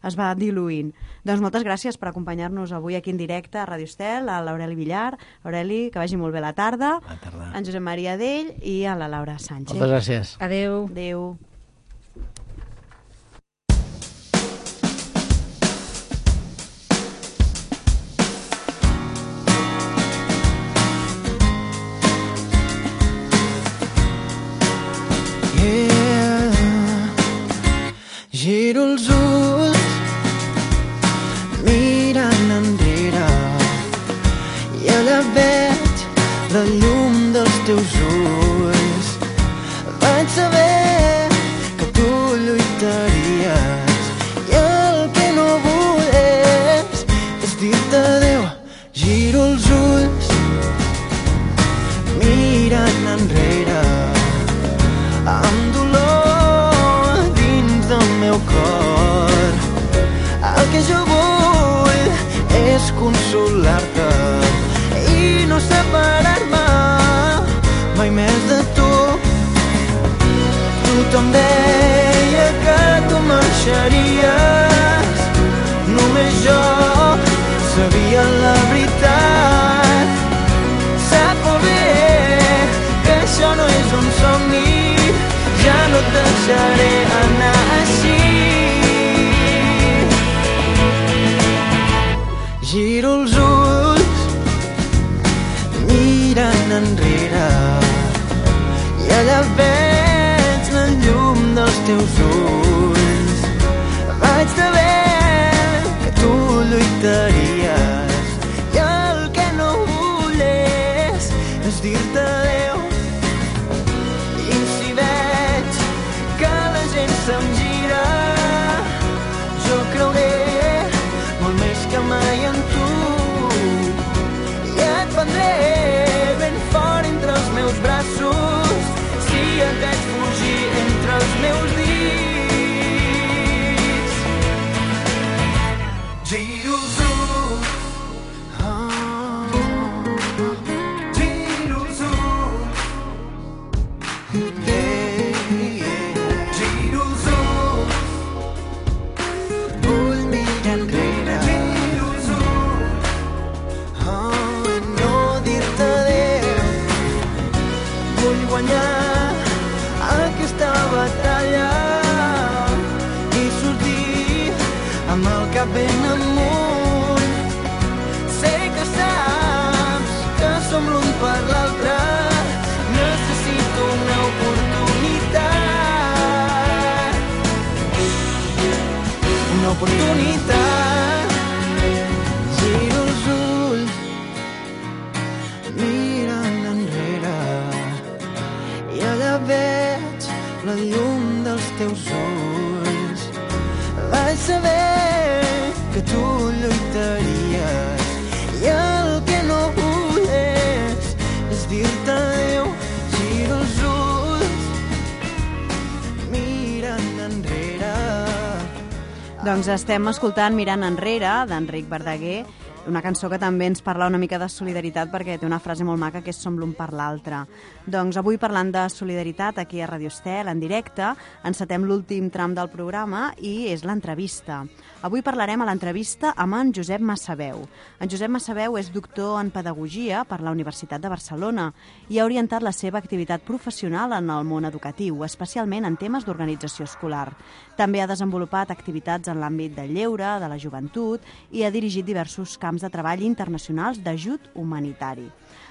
es va diluint. Doncs moltes gràcies per acompanyar-nos avui aquí en directe a Radio Estel, a l'Aureli Villar. Aureli, que vagi molt bé la tarda. Bona tarda. En Josep Maria Dell i a la Laura Sánchez. Moltes gràcies. Adeu. Adéu. Giro els ulls mirant enrere i allà veig la llum dels teus ulls. Vaig saber que tu lluitaries i el que no vull és, és dir-te adéu. Giro els ulls mirant enrere amb dolor meu cor. El que jo vull és consolar-te i no separar-me mai més de tu. Tothom deia que tu marxaries, només jo sabia la veritat. Sap molt bé que això no és un somni, ja no et deixaré anar així. Giro els ulls mirant enrere i allà veig la llum dels teus ulls. Vaig saber que tu lluitaries i el que no vull és, és dir-te adéu. I si veig que la gent se'm gira, jo creuré molt més que mai en tu i et prendré ben fort entre els meus braços si et veig fugir entre els meus dits. Giro els ulls, oh, giro els ulls, giro els ulls, vull mirar enrere, giro els ulls, oh, no dir-te adéu. Vull guanyar aquesta batalla i sortir amb el cap ben amunt. Sé que saps que som l'un per l'altre, necessito una oportunitat. una oportunitat. Giro els ulls, mirant enrere, i allà veig la llum dels teus ulls. Vaig saber que tu lluitaries i el que no volés és dir-te adéu. Giro els ulls, mirant enrere. Doncs estem escoltant Mirant enrere, d'Enric Verdaguer, una cançó que també ens parla una mica de solidaritat perquè té una frase molt maca que és som l'un per l'altre. Doncs avui parlant de solidaritat aquí a Radio Estel, en directe, encetem l'últim tram del programa i és l'entrevista. Avui parlarem a l'entrevista amb en Josep Massaveu. En Josep Massaveu és doctor en Pedagogia per la Universitat de Barcelona i ha orientat la seva activitat professional en el món educatiu, especialment en temes d'organització escolar. També ha desenvolupat activitats en l'àmbit del lleure, de la joventut i ha dirigit diversos camps de treball internacionals d'ajut humanitari.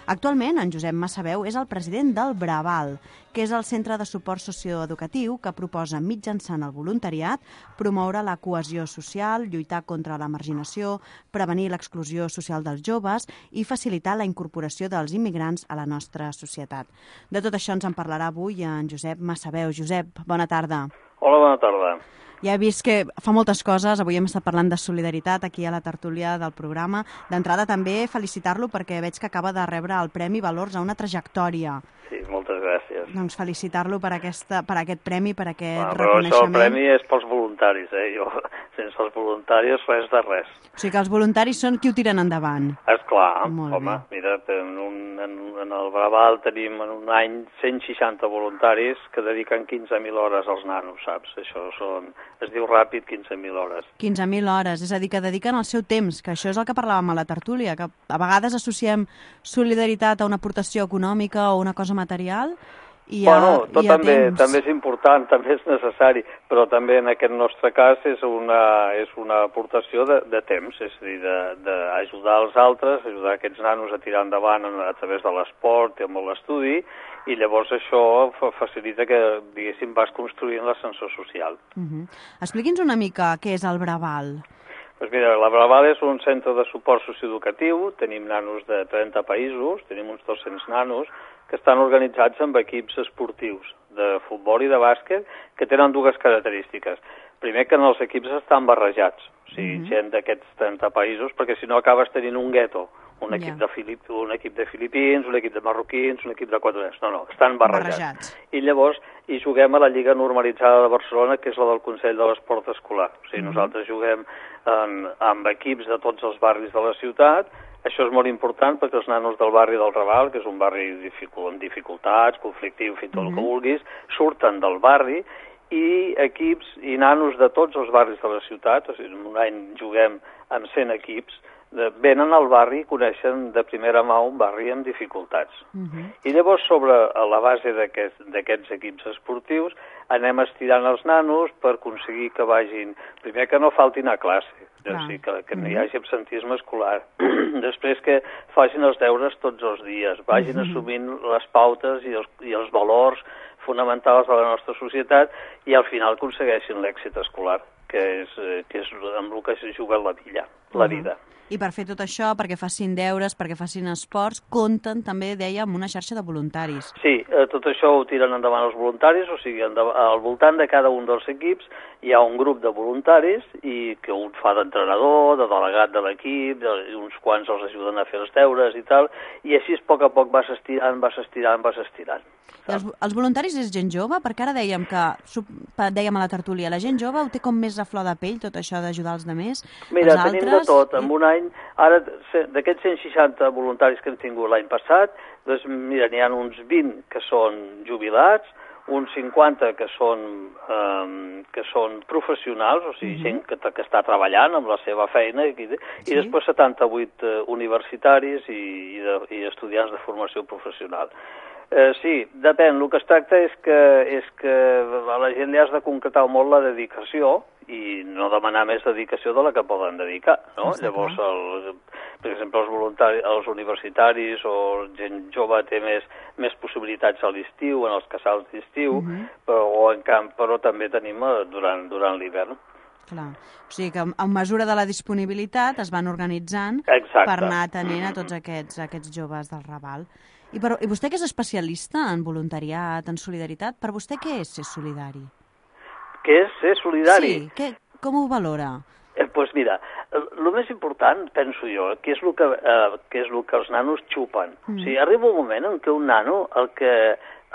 Actualment, en Josep Massaveu és el president del Braval, que és el centre de suport socioeducatiu que proposa mitjançant el voluntariat promoure la cohesió social, lluitar contra la marginació, prevenir l'exclusió social dels joves i facilitar la incorporació dels immigrants a la nostra societat. De tot això ens en parlarà avui en Josep Massaveu. Josep, bona tarda. Hola, bona tarda. Ja he vist que fa moltes coses, avui hem estat parlant de solidaritat aquí a la tertúlia del programa. D'entrada també felicitar-lo perquè veig que acaba de rebre el Premi Valors a una trajectòria. Sí, moltes gràcies. Doncs felicitar-lo per, aquesta, per aquest premi, per aquest ah, però reconeixement. Però això el premi és pels voluntaris, eh? Jo, sense els voluntaris res de res. O sigui que els voluntaris són qui ho tiren endavant. Esclar, Molt home, bé. mira, en, un, en, en el Braval tenim en un any cent seixanta voluntaris que dediquen quinze mil hores als nanos, saps? Això són, es diu ràpid, quinze mil hores. quinze mil hores, és a dir, que dediquen el seu temps, que això és el que parlàvem a la tertúlia, que a vegades associem solidaritat a una aportació econòmica o una cosa material, i a, bueno, tot i a també, temps. també és important, també és necessari, però també en aquest nostre cas és una, és una aportació de, de temps, és a dir, d'ajudar els altres, ajudar aquests nanos a tirar endavant a través de l'esport i amb l'estudi, i llavors això facilita que, diguéssim, vas construint l'ascensor social. Uh-huh. Expliqui'ns una mica què és el Braval. Doncs mira, la Braval és un centre de suport socioeducatiu, tenim nanos de trenta països, tenim uns dos-cents nanos, que estan organitzats amb equips esportius de futbol i de bàsquet que tenen dues característiques. Primer, que en els equips estan barrejats, o sigui, mm-hmm. gent d'aquests trenta països, perquè si no acabes tenint un gueto, un equip, yeah. de Filip, un equip de filipins, un equip de marroquins, un equip de quadrats. No, no, estan barrejats. barrejats. I llavors hi juguem a la Lliga Normalitzada de Barcelona, que és la del Consell de l'Esport Escolar. O sigui, mm-hmm. nosaltres juguem en, amb equips de tots els barris de la ciutat. Això és molt important perquè els nanos del barri del Raval, que és un barri dificult, amb dificultats, conflictiu, fins tot mm-hmm. el que vulguis, surten del barri i equips i nanos de tots els barris de la ciutat, o sigui, en un any juguem amb cent equips, de, venen al barri i coneixen de primera mà un barri amb dificultats. Uh-huh. I llavors, sobre a la base d'aquests aquest, equips esportius, anem estirant els nanos per aconseguir que vagin, primer que no faltin a classe, o sigui, que, que no hi hagi absentisme escolar, després que facin els deures tots els dies, vagin uh-huh. assumint les pautes i els, i els valors fonamentals de la nostra societat i al final aconsegueixin l'èxit escolar, que és, que és amb el que es juga la vida. La vida. Uh-huh. I per fer tot això, perquè facin deures, perquè facin esports, compten també, deia, amb una xarxa de voluntaris. Sí, eh, tot això ho tiren endavant els voluntaris, o sigui, al voltant de cada un dels equips hi ha un grup de voluntaris i que un fa d'entrenador, de delegat de l'equip, i uns quants els ajuden a fer els deures i tal, i així a poc a poc vas estirant, vas estirant, vas estirant. I els, els voluntaris és gent jove? Perquè ara dèiem que, dèiem a la tertúlia, la gent jove ho té com més a flor de pell, tot això d'ajudar els altres? Mira, tenim de tot. En un any, ara, d'aquests cent seixanta voluntaris que hem tingut l'any passat, doncs, mira, n'hi ha uns vint que són jubilats, uns cinquanta que són, um, que són professionals, o sigui, uh-huh. gent que, que està treballant amb la seva feina, i, i sí. després setanta-vuit uh, universitaris i, i, de, i estudiants de formació professional. Eh, sí, depèn. El que es tracta és que, és que a la gent li has de concretar molt la dedicació i no demanar més dedicació de la que poden dedicar, no? Està Llavors, el, per exemple, els voluntaris, els universitaris o gent jove té més, més possibilitats a l'estiu, en els casals d'estiu, uh-huh. però, o en camp, però també tenim durant, durant l'hivern. Clar. O sigui que a mesura de la disponibilitat es van organitzant Exacte. per anar atenent a tots aquests, aquests joves del Raval. I, per, I vostè que és especialista en voluntariat, en solidaritat, per vostè què és ser solidari? Què és ser solidari? Sí, que, com ho valora? Eh, pues mira, el més important, penso jo, que és el que, eh, que, és el que els nanos xupen. Mm. O sigui, arriba un moment en què un nano el que,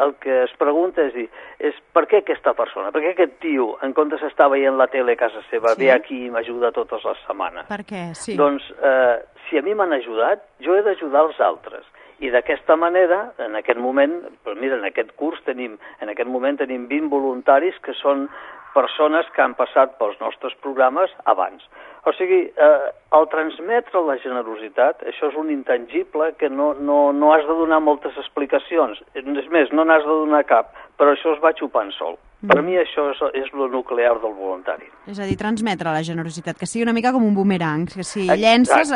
el que es pregunta és, dir, és per què aquesta persona, per què aquest tio, en comptes d'estar veient la tele a casa seva, sí. ve aquí i m'ajuda totes les setmanes? Per què? Sí. Doncs, eh, si a mi m'han ajudat, jo he d'ajudar els altres. I d'aquesta manera, en aquest moment, però mira, en aquest curs tenim, en aquest moment tenim vint voluntaris que són persones que han passat pels nostres programes abans. O sigui, eh, el transmetre la generositat, això és un intangible que no, no, no has de donar moltes explicacions. És més, no n'has de donar cap, però això es va xupant sol. Mm. Per mi això és, és el nuclear del voluntari. És a dir, transmetre la generositat, que sigui una mica com un boomerang, que si llences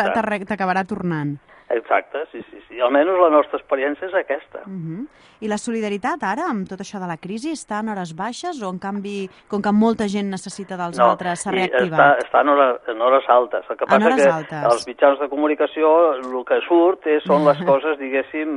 t'acabarà tornant. Exacte, sí, sí, sí. Almenys la nostra experiència és aquesta. Uh-huh. I la solidaritat ara, amb tot això de la crisi, està en hores baixes o, en canvi, com que molta gent necessita dels no, altres, s'ha reactivat? Està, està en, hores, en hores altes. El que passa en hores que altes. Els mitjans de comunicació el que surt és, són les coses, diguéssim,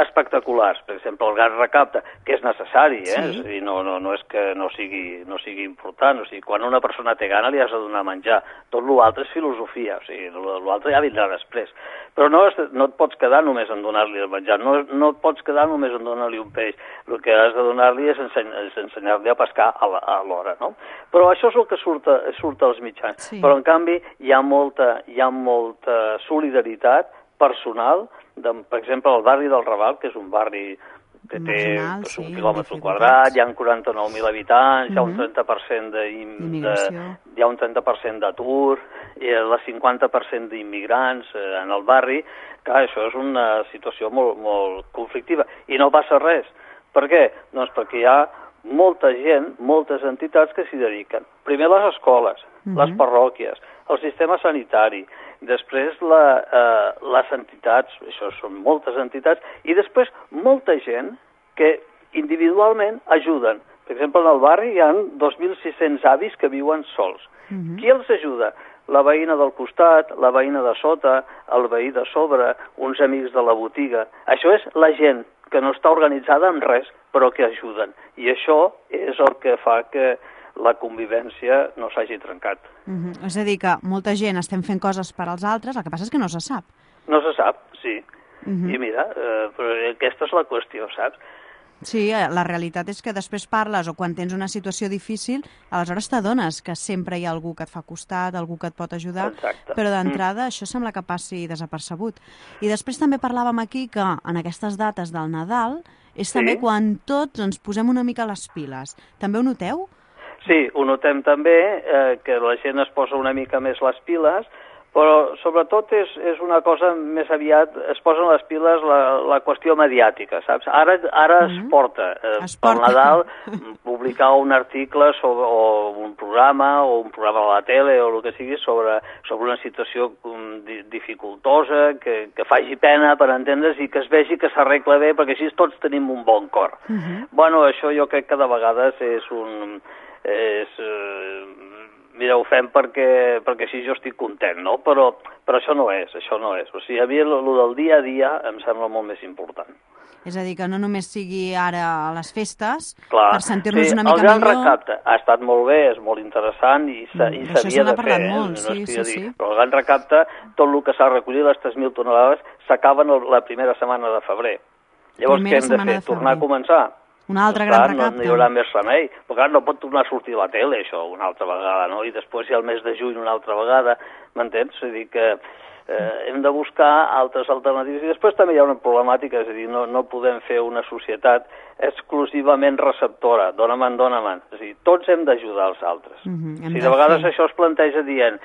espectaculars. Per exemple, el gas recapta, que és necessari, eh? Sí. És a dir, no, no, no és que no sigui, no sigui important. O sigui, quan una persona té gana li has de donar menjar. Tot l'altre és filosofia, o sigui, l'altre ja vindrà després. Però no, no et pots quedar només en donar-li el menjar, no, no et pots quedar només en donar-li un peix. El que has de donar-li és, enseny, és ensenyar-li a pescar a l'hora, no? Però això és el que surt, surt als mitjans. Sí. Però, en canvi, hi ha molta, hi ha molta solidaritat personal, de, per exemple, el barri del Raval, que és un barri que té Marginal, pues, un sí, quilòmetre quadrat, hi ha quaranta-nou mil habitants, uh-huh. hi ha un trenta per cent de, de, hi ha un trenta per cent d'atur, i el cinquanta per cent d'immigrants eh, en el barri. Clar, això és una situació molt, molt conflictiva. I no passa res. Per què? Doncs perquè hi ha molta gent, moltes entitats que s'hi dediquen. Primer les escoles, uh-huh. les parròquies, el sistema sanitari, després la, eh, les entitats, això són moltes entitats, i després molta gent que individualment ajuden. Per exemple, en el barri hi ha dos mil sis-cents avis que viuen sols. Uh-huh. Qui els ajuda? La veïna del costat, la veïna de sota, el veí de sobre, uns amics de la botiga. Això és la gent que no està organitzada en res, però que ajuden. I això és el que fa que la convivència no s'hagi trencat. Uh-huh. És a dir, que molta gent estem fent coses per als altres, el que passa és que no se sap. No se sap, sí. Uh-huh. I mira, eh, però aquesta és la qüestió, saps? Sí, la realitat és que després parles o quan tens una situació difícil, aleshores t'adones que sempre hi ha algú que et fa costat, algú que et pot ajudar, Exacte. Però d'entrada mm. això sembla que passi desapercebut. I després també parlàvem aquí que en aquestes dates del Nadal és sí. també quan tots ens posem una mica les piles. També ho noteu? Sí, ho notem també, eh, que la gent es posa una mica més les piles, però sobretot és, és una cosa més aviat, es posen les piles la, la qüestió mediàtica, saps? Ara, ara mm-hmm. es porta, eh, es pel porta. Nadal, publicar un article sobre, o un programa, o un programa a la tele, o el que sigui, sobre, sobre una situació um, di, dificultosa, que, que faci pena per entendre's i que es vegi que s'arregla bé, perquè així tots tenim un bon cor. Mm-hmm. Bueno, això jo crec que de vegades és un... És, eh, mira, ho fem perquè, perquè així jo estic content, no? Però, però això no és, això no és. O sigui, a mi el del dia a dia em sembla molt més important. És a dir, que no només sigui ara a les festes, Clar, per sentir-nos sí, una mica millor... El gran millor... recapte ha estat molt bé, és molt interessant i s'havia mm, de fer. Molt, eh? sí, no sí, sí. sí. Però el gran recapte, tot el que s'ha recollit, les tres mil tonelades, s'acaben la primera setmana de febrer. Llavors, primera què hem de fer? De Tornar a començar? Un altre gran recapte. No hi haurà més remei. Però clar, no pot tornar a sortir a la tele, això, una altra vegada, no? I després hi ha el mes de juny una altra vegada, m'entens? És a dir, que eh, hem de buscar altres alternatives. I després també hi ha una problemàtica, és a dir, no, no podem fer una societat exclusivament receptora, dóna-me'n, dóna-me'n. És a dir, tots hem d'ajudar els altres. Mm-hmm, si de vegades fer. Això es planteja dient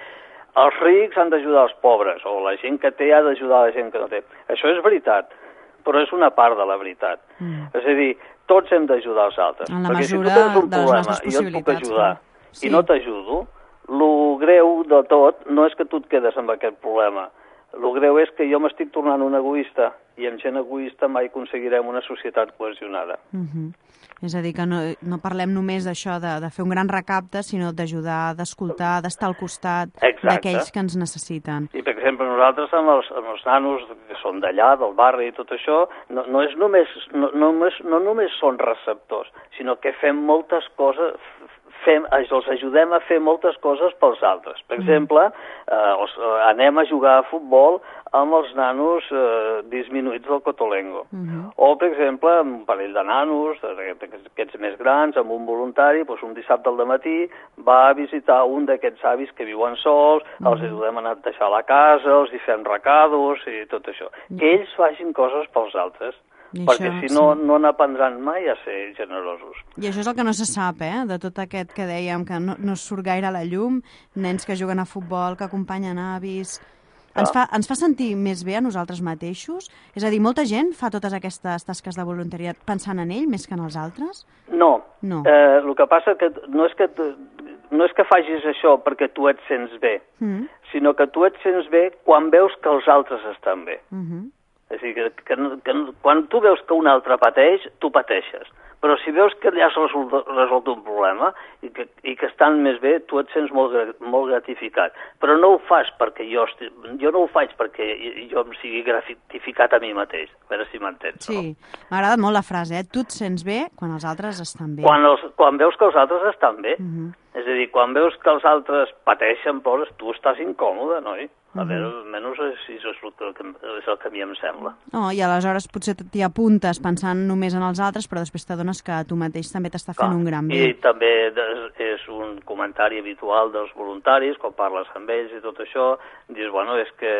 els rics han d'ajudar els pobres, o la gent que té ha d'ajudar la gent que no té. Això és veritat, però és una part de la veritat. Mm. És a dir, tots hem d'ajudar els altres. En la perquè mesura si tu tens un de les problema nostres i jo et puc ajudar sí. i no t'ajudo, el greu de tot no és que tu et quedes amb aquest problema. El greu és que jo m'estic tornant un egoista i amb gent egoista mai aconseguirem una societat cohesionada. Uh-huh. És a dir, que no, no parlem només d'això de, de fer un gran recapte, sinó d'ajudar, d'escoltar, d'estar al costat d'aquells que ens necessiten. I, per exemple, nosaltres amb els, amb els nanos que són d'allà, del barri i tot això, no, no, és només, no, no, només, no només són receptors, sinó que fem moltes coses, fem, els ajudem a fer moltes coses pels altres. Per exemple, eh, els, anem a jugar a futbol amb els nanos eh, disminuïts del Cotolengo. Uh-huh. O, per exemple, amb un parell de nanos, aquests més grans, amb un voluntari, doncs un dissabte al dematí va a visitar un d'aquests avis que viuen sols, uh-huh. els ajudem a anar a deixar la casa, els hi fem recados i tot això. Uh-huh. Que ells facin coses pels altres. I perquè això, si no, sí. no n'aprendran mai a ser generosos. I això és el que no se sap, eh? De tot aquest que dèiem, que no, no surt gaire a la llum, nens que juguen a futbol, que acompanyen avis... Ens fa, ens fa sentir més bé a nosaltres mateixos? És a dir, molta gent fa totes aquestes tasques de voluntariat pensant en ell més que en els altres? No. no. Eh, el que passa que no és que, no és que facis això perquè tu et sents bé, mm. sinó que tu et sents bé quan veus que els altres estan bé. Mm-hmm. És a dir, que, que, que quan tu veus que un altre pateix, tu pateixes. Però si veus que ja has resolt, resolt un problema i que, i que estan més bé, tu et sents molt, molt gratificat. Però no ho fas perquè jo... Esti... Jo no ho faig perquè jo em sigui gratificat a mi mateix. A veure si m'entens. Sí, no? M'ha agradat molt la frase, eh? Tu et sents bé quan els altres estan bé. Quan, els, quan veus que els altres estan bé. Uh-huh. És a dir, quan veus que els altres pateixen, plores, tu estàs incòmode, no? A veure, almenys és, és, el que, és el que a mi em sembla. Oh, I aleshores potser t'hi apuntes pensant només en els altres, però després t'adones que tu mateix també t'està fent un gran bé. I també és un comentari habitual dels voluntaris, quan parles amb ells i tot això, dius, bueno, és que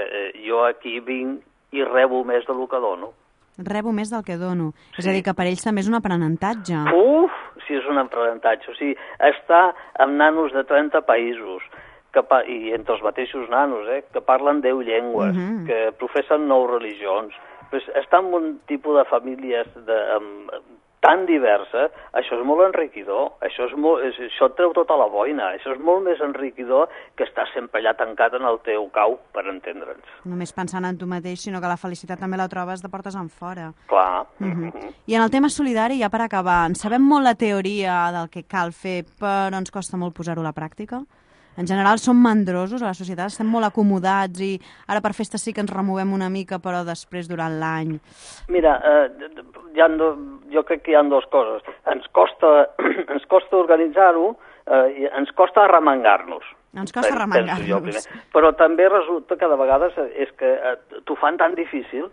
jo aquí vinc i rebo més del que dono. Rebo més del que dono. Sí. És a dir, que per ells també és un aprenentatge. Uf, sí, és un aprenentatge. O sigui, està amb nanos de trenta països, que pa i entre els mateixos nanos, eh, que parlen deu llengües, uh-huh. que professen nou religions. Pues està en un tipus de famílies de, um, tan diversa, això és molt enriquidor, això, és molt, és, això et treu tota la boina, això és molt més enriquidor que estar sempre allà tancat en el teu cau, per entendre'ns. Només pensant en tu mateix, sinó que la felicitat també la trobes de portes enfora. Clar. Uh-huh. Uh-huh. I en el tema solidari, ja per acabar, en sabem molt la teoria del que cal fer, però ens costa molt posar-ho a la pràctica? En general som mandrosos a la societat, estem molt acomodats i ara per festes sí que ens removem una mica, però després durant l'any... Mira, eh, hi ha do, jo crec que hi ha dues coses. Ens costa, ens costa organitzar-ho eh, i ens costa arremangar-nos. Ens costa arremangar-nos. Però també resulta que de vegades és que eh, t'ho fan tan difícil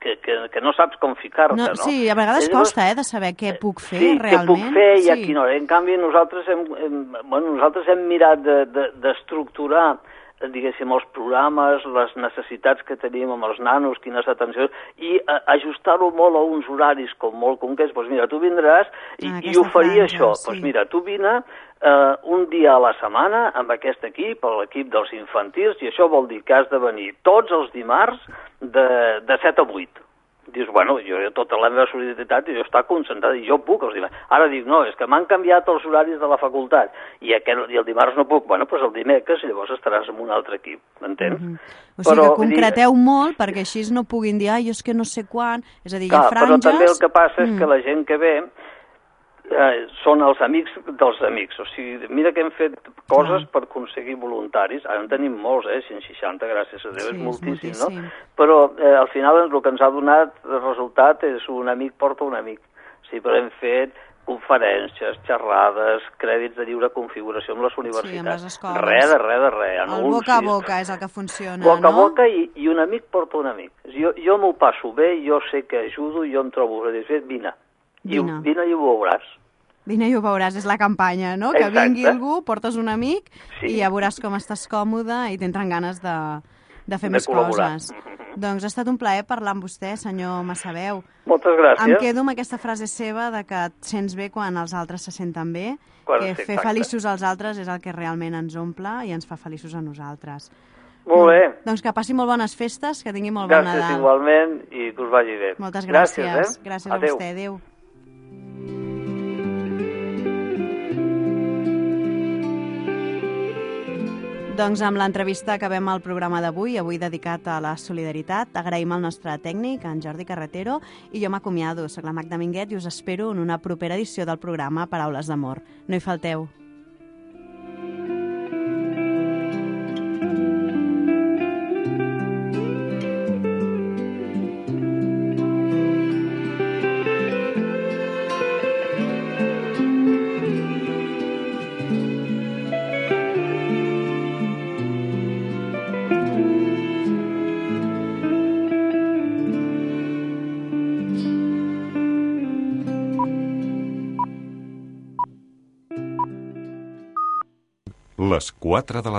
Que, que, que no saps com ficar-te, no, no? Sí, a vegades Llavors, costa, eh, de saber què puc fer, sí, realment. Sí, què puc fer i sí. a quina hora. En canvi, nosaltres hem, hem, bueno, nosaltres hem mirat d'estructurar, de, de, diguéssim, els programes, les necessitats que tenim amb els nanos, quines atencions, i a, ajustar-ho molt a uns horaris com molt concrets. Doncs mira, tu vindràs i, ah, i oferir franja, això. Doncs sí. mira, tu vine uh, un dia a la setmana amb aquest equip, l'equip dels infantils, i això vol dir que has de venir tots els dimarts de, de set a vuit. Dius, bueno, jo tota la meva solidaritat i jo està concentrat i jo puc els dimarts. Ara dic, no, és que m'han canviat els horaris de la facultat i, aquel, i el dimarts no puc. Bueno, doncs el dimecres llavors estaràs amb un altre equip, m'entens? Mm -hmm. O sigui però, que concreteu dir... molt perquè així no puguin dir, ai, jo és que no sé quan, és a dir, hi ha franges... Però també el que passa és mm. que la gent que ve eh, són els amics dels amics. O sigui, mira que hem fet coses ah. per aconseguir voluntaris. Ara en tenim molts, eh? cent seixanta, gràcies a Déu, sí, és moltíssim, és moltíssim, no? Però eh, al final el que ens ha donat el resultat és un amic porta un amic. O sigui, però hem fet conferències, xerrades, crèdits de lliure configuració amb les universitats. Sí, amb les escoles. Res de res de res. El boca a boca és el que funciona, boca no? Boca a boca i, i un amic porta un amic. Jo, jo m'ho passo bé, jo sé que ajudo, jo em trobo satisfet, vine. Vine. I, vine i ho veuràs. Vine i ho veuràs, és la campanya, no? Exacte. Que vingui algú, portes un amic sí. i ja veuràs com estàs còmode i tindran ganes de, de fer de més col·laborar. Coses. Doncs ha estat un plaer parlar amb vostè, senyor Massaveu. Moltes gràcies. Em quedo amb aquesta frase seva de que et sents bé quan els altres se senten bé, quan que fer exacte. Feliços als altres és el que realment ens omple i ens fa feliços a nosaltres. Molt bé. Doncs que passi molt bones festes, que tingui molt bon Nadal. Gràcies igualment i que us vagi bé. Moltes gràcies. Gràcies, eh? gràcies Adéu. a vostè. Adéu. Doncs amb l'entrevista acabem el programa d'avui, avui dedicat a la solidaritat. Agraïm al nostre tècnic, en Jordi Carretero, i jo m'acomiado. Soc la Magda Minguet i us espero en una propera edició del programa Paraules d'Amor. No hi falteu. Les quatre de la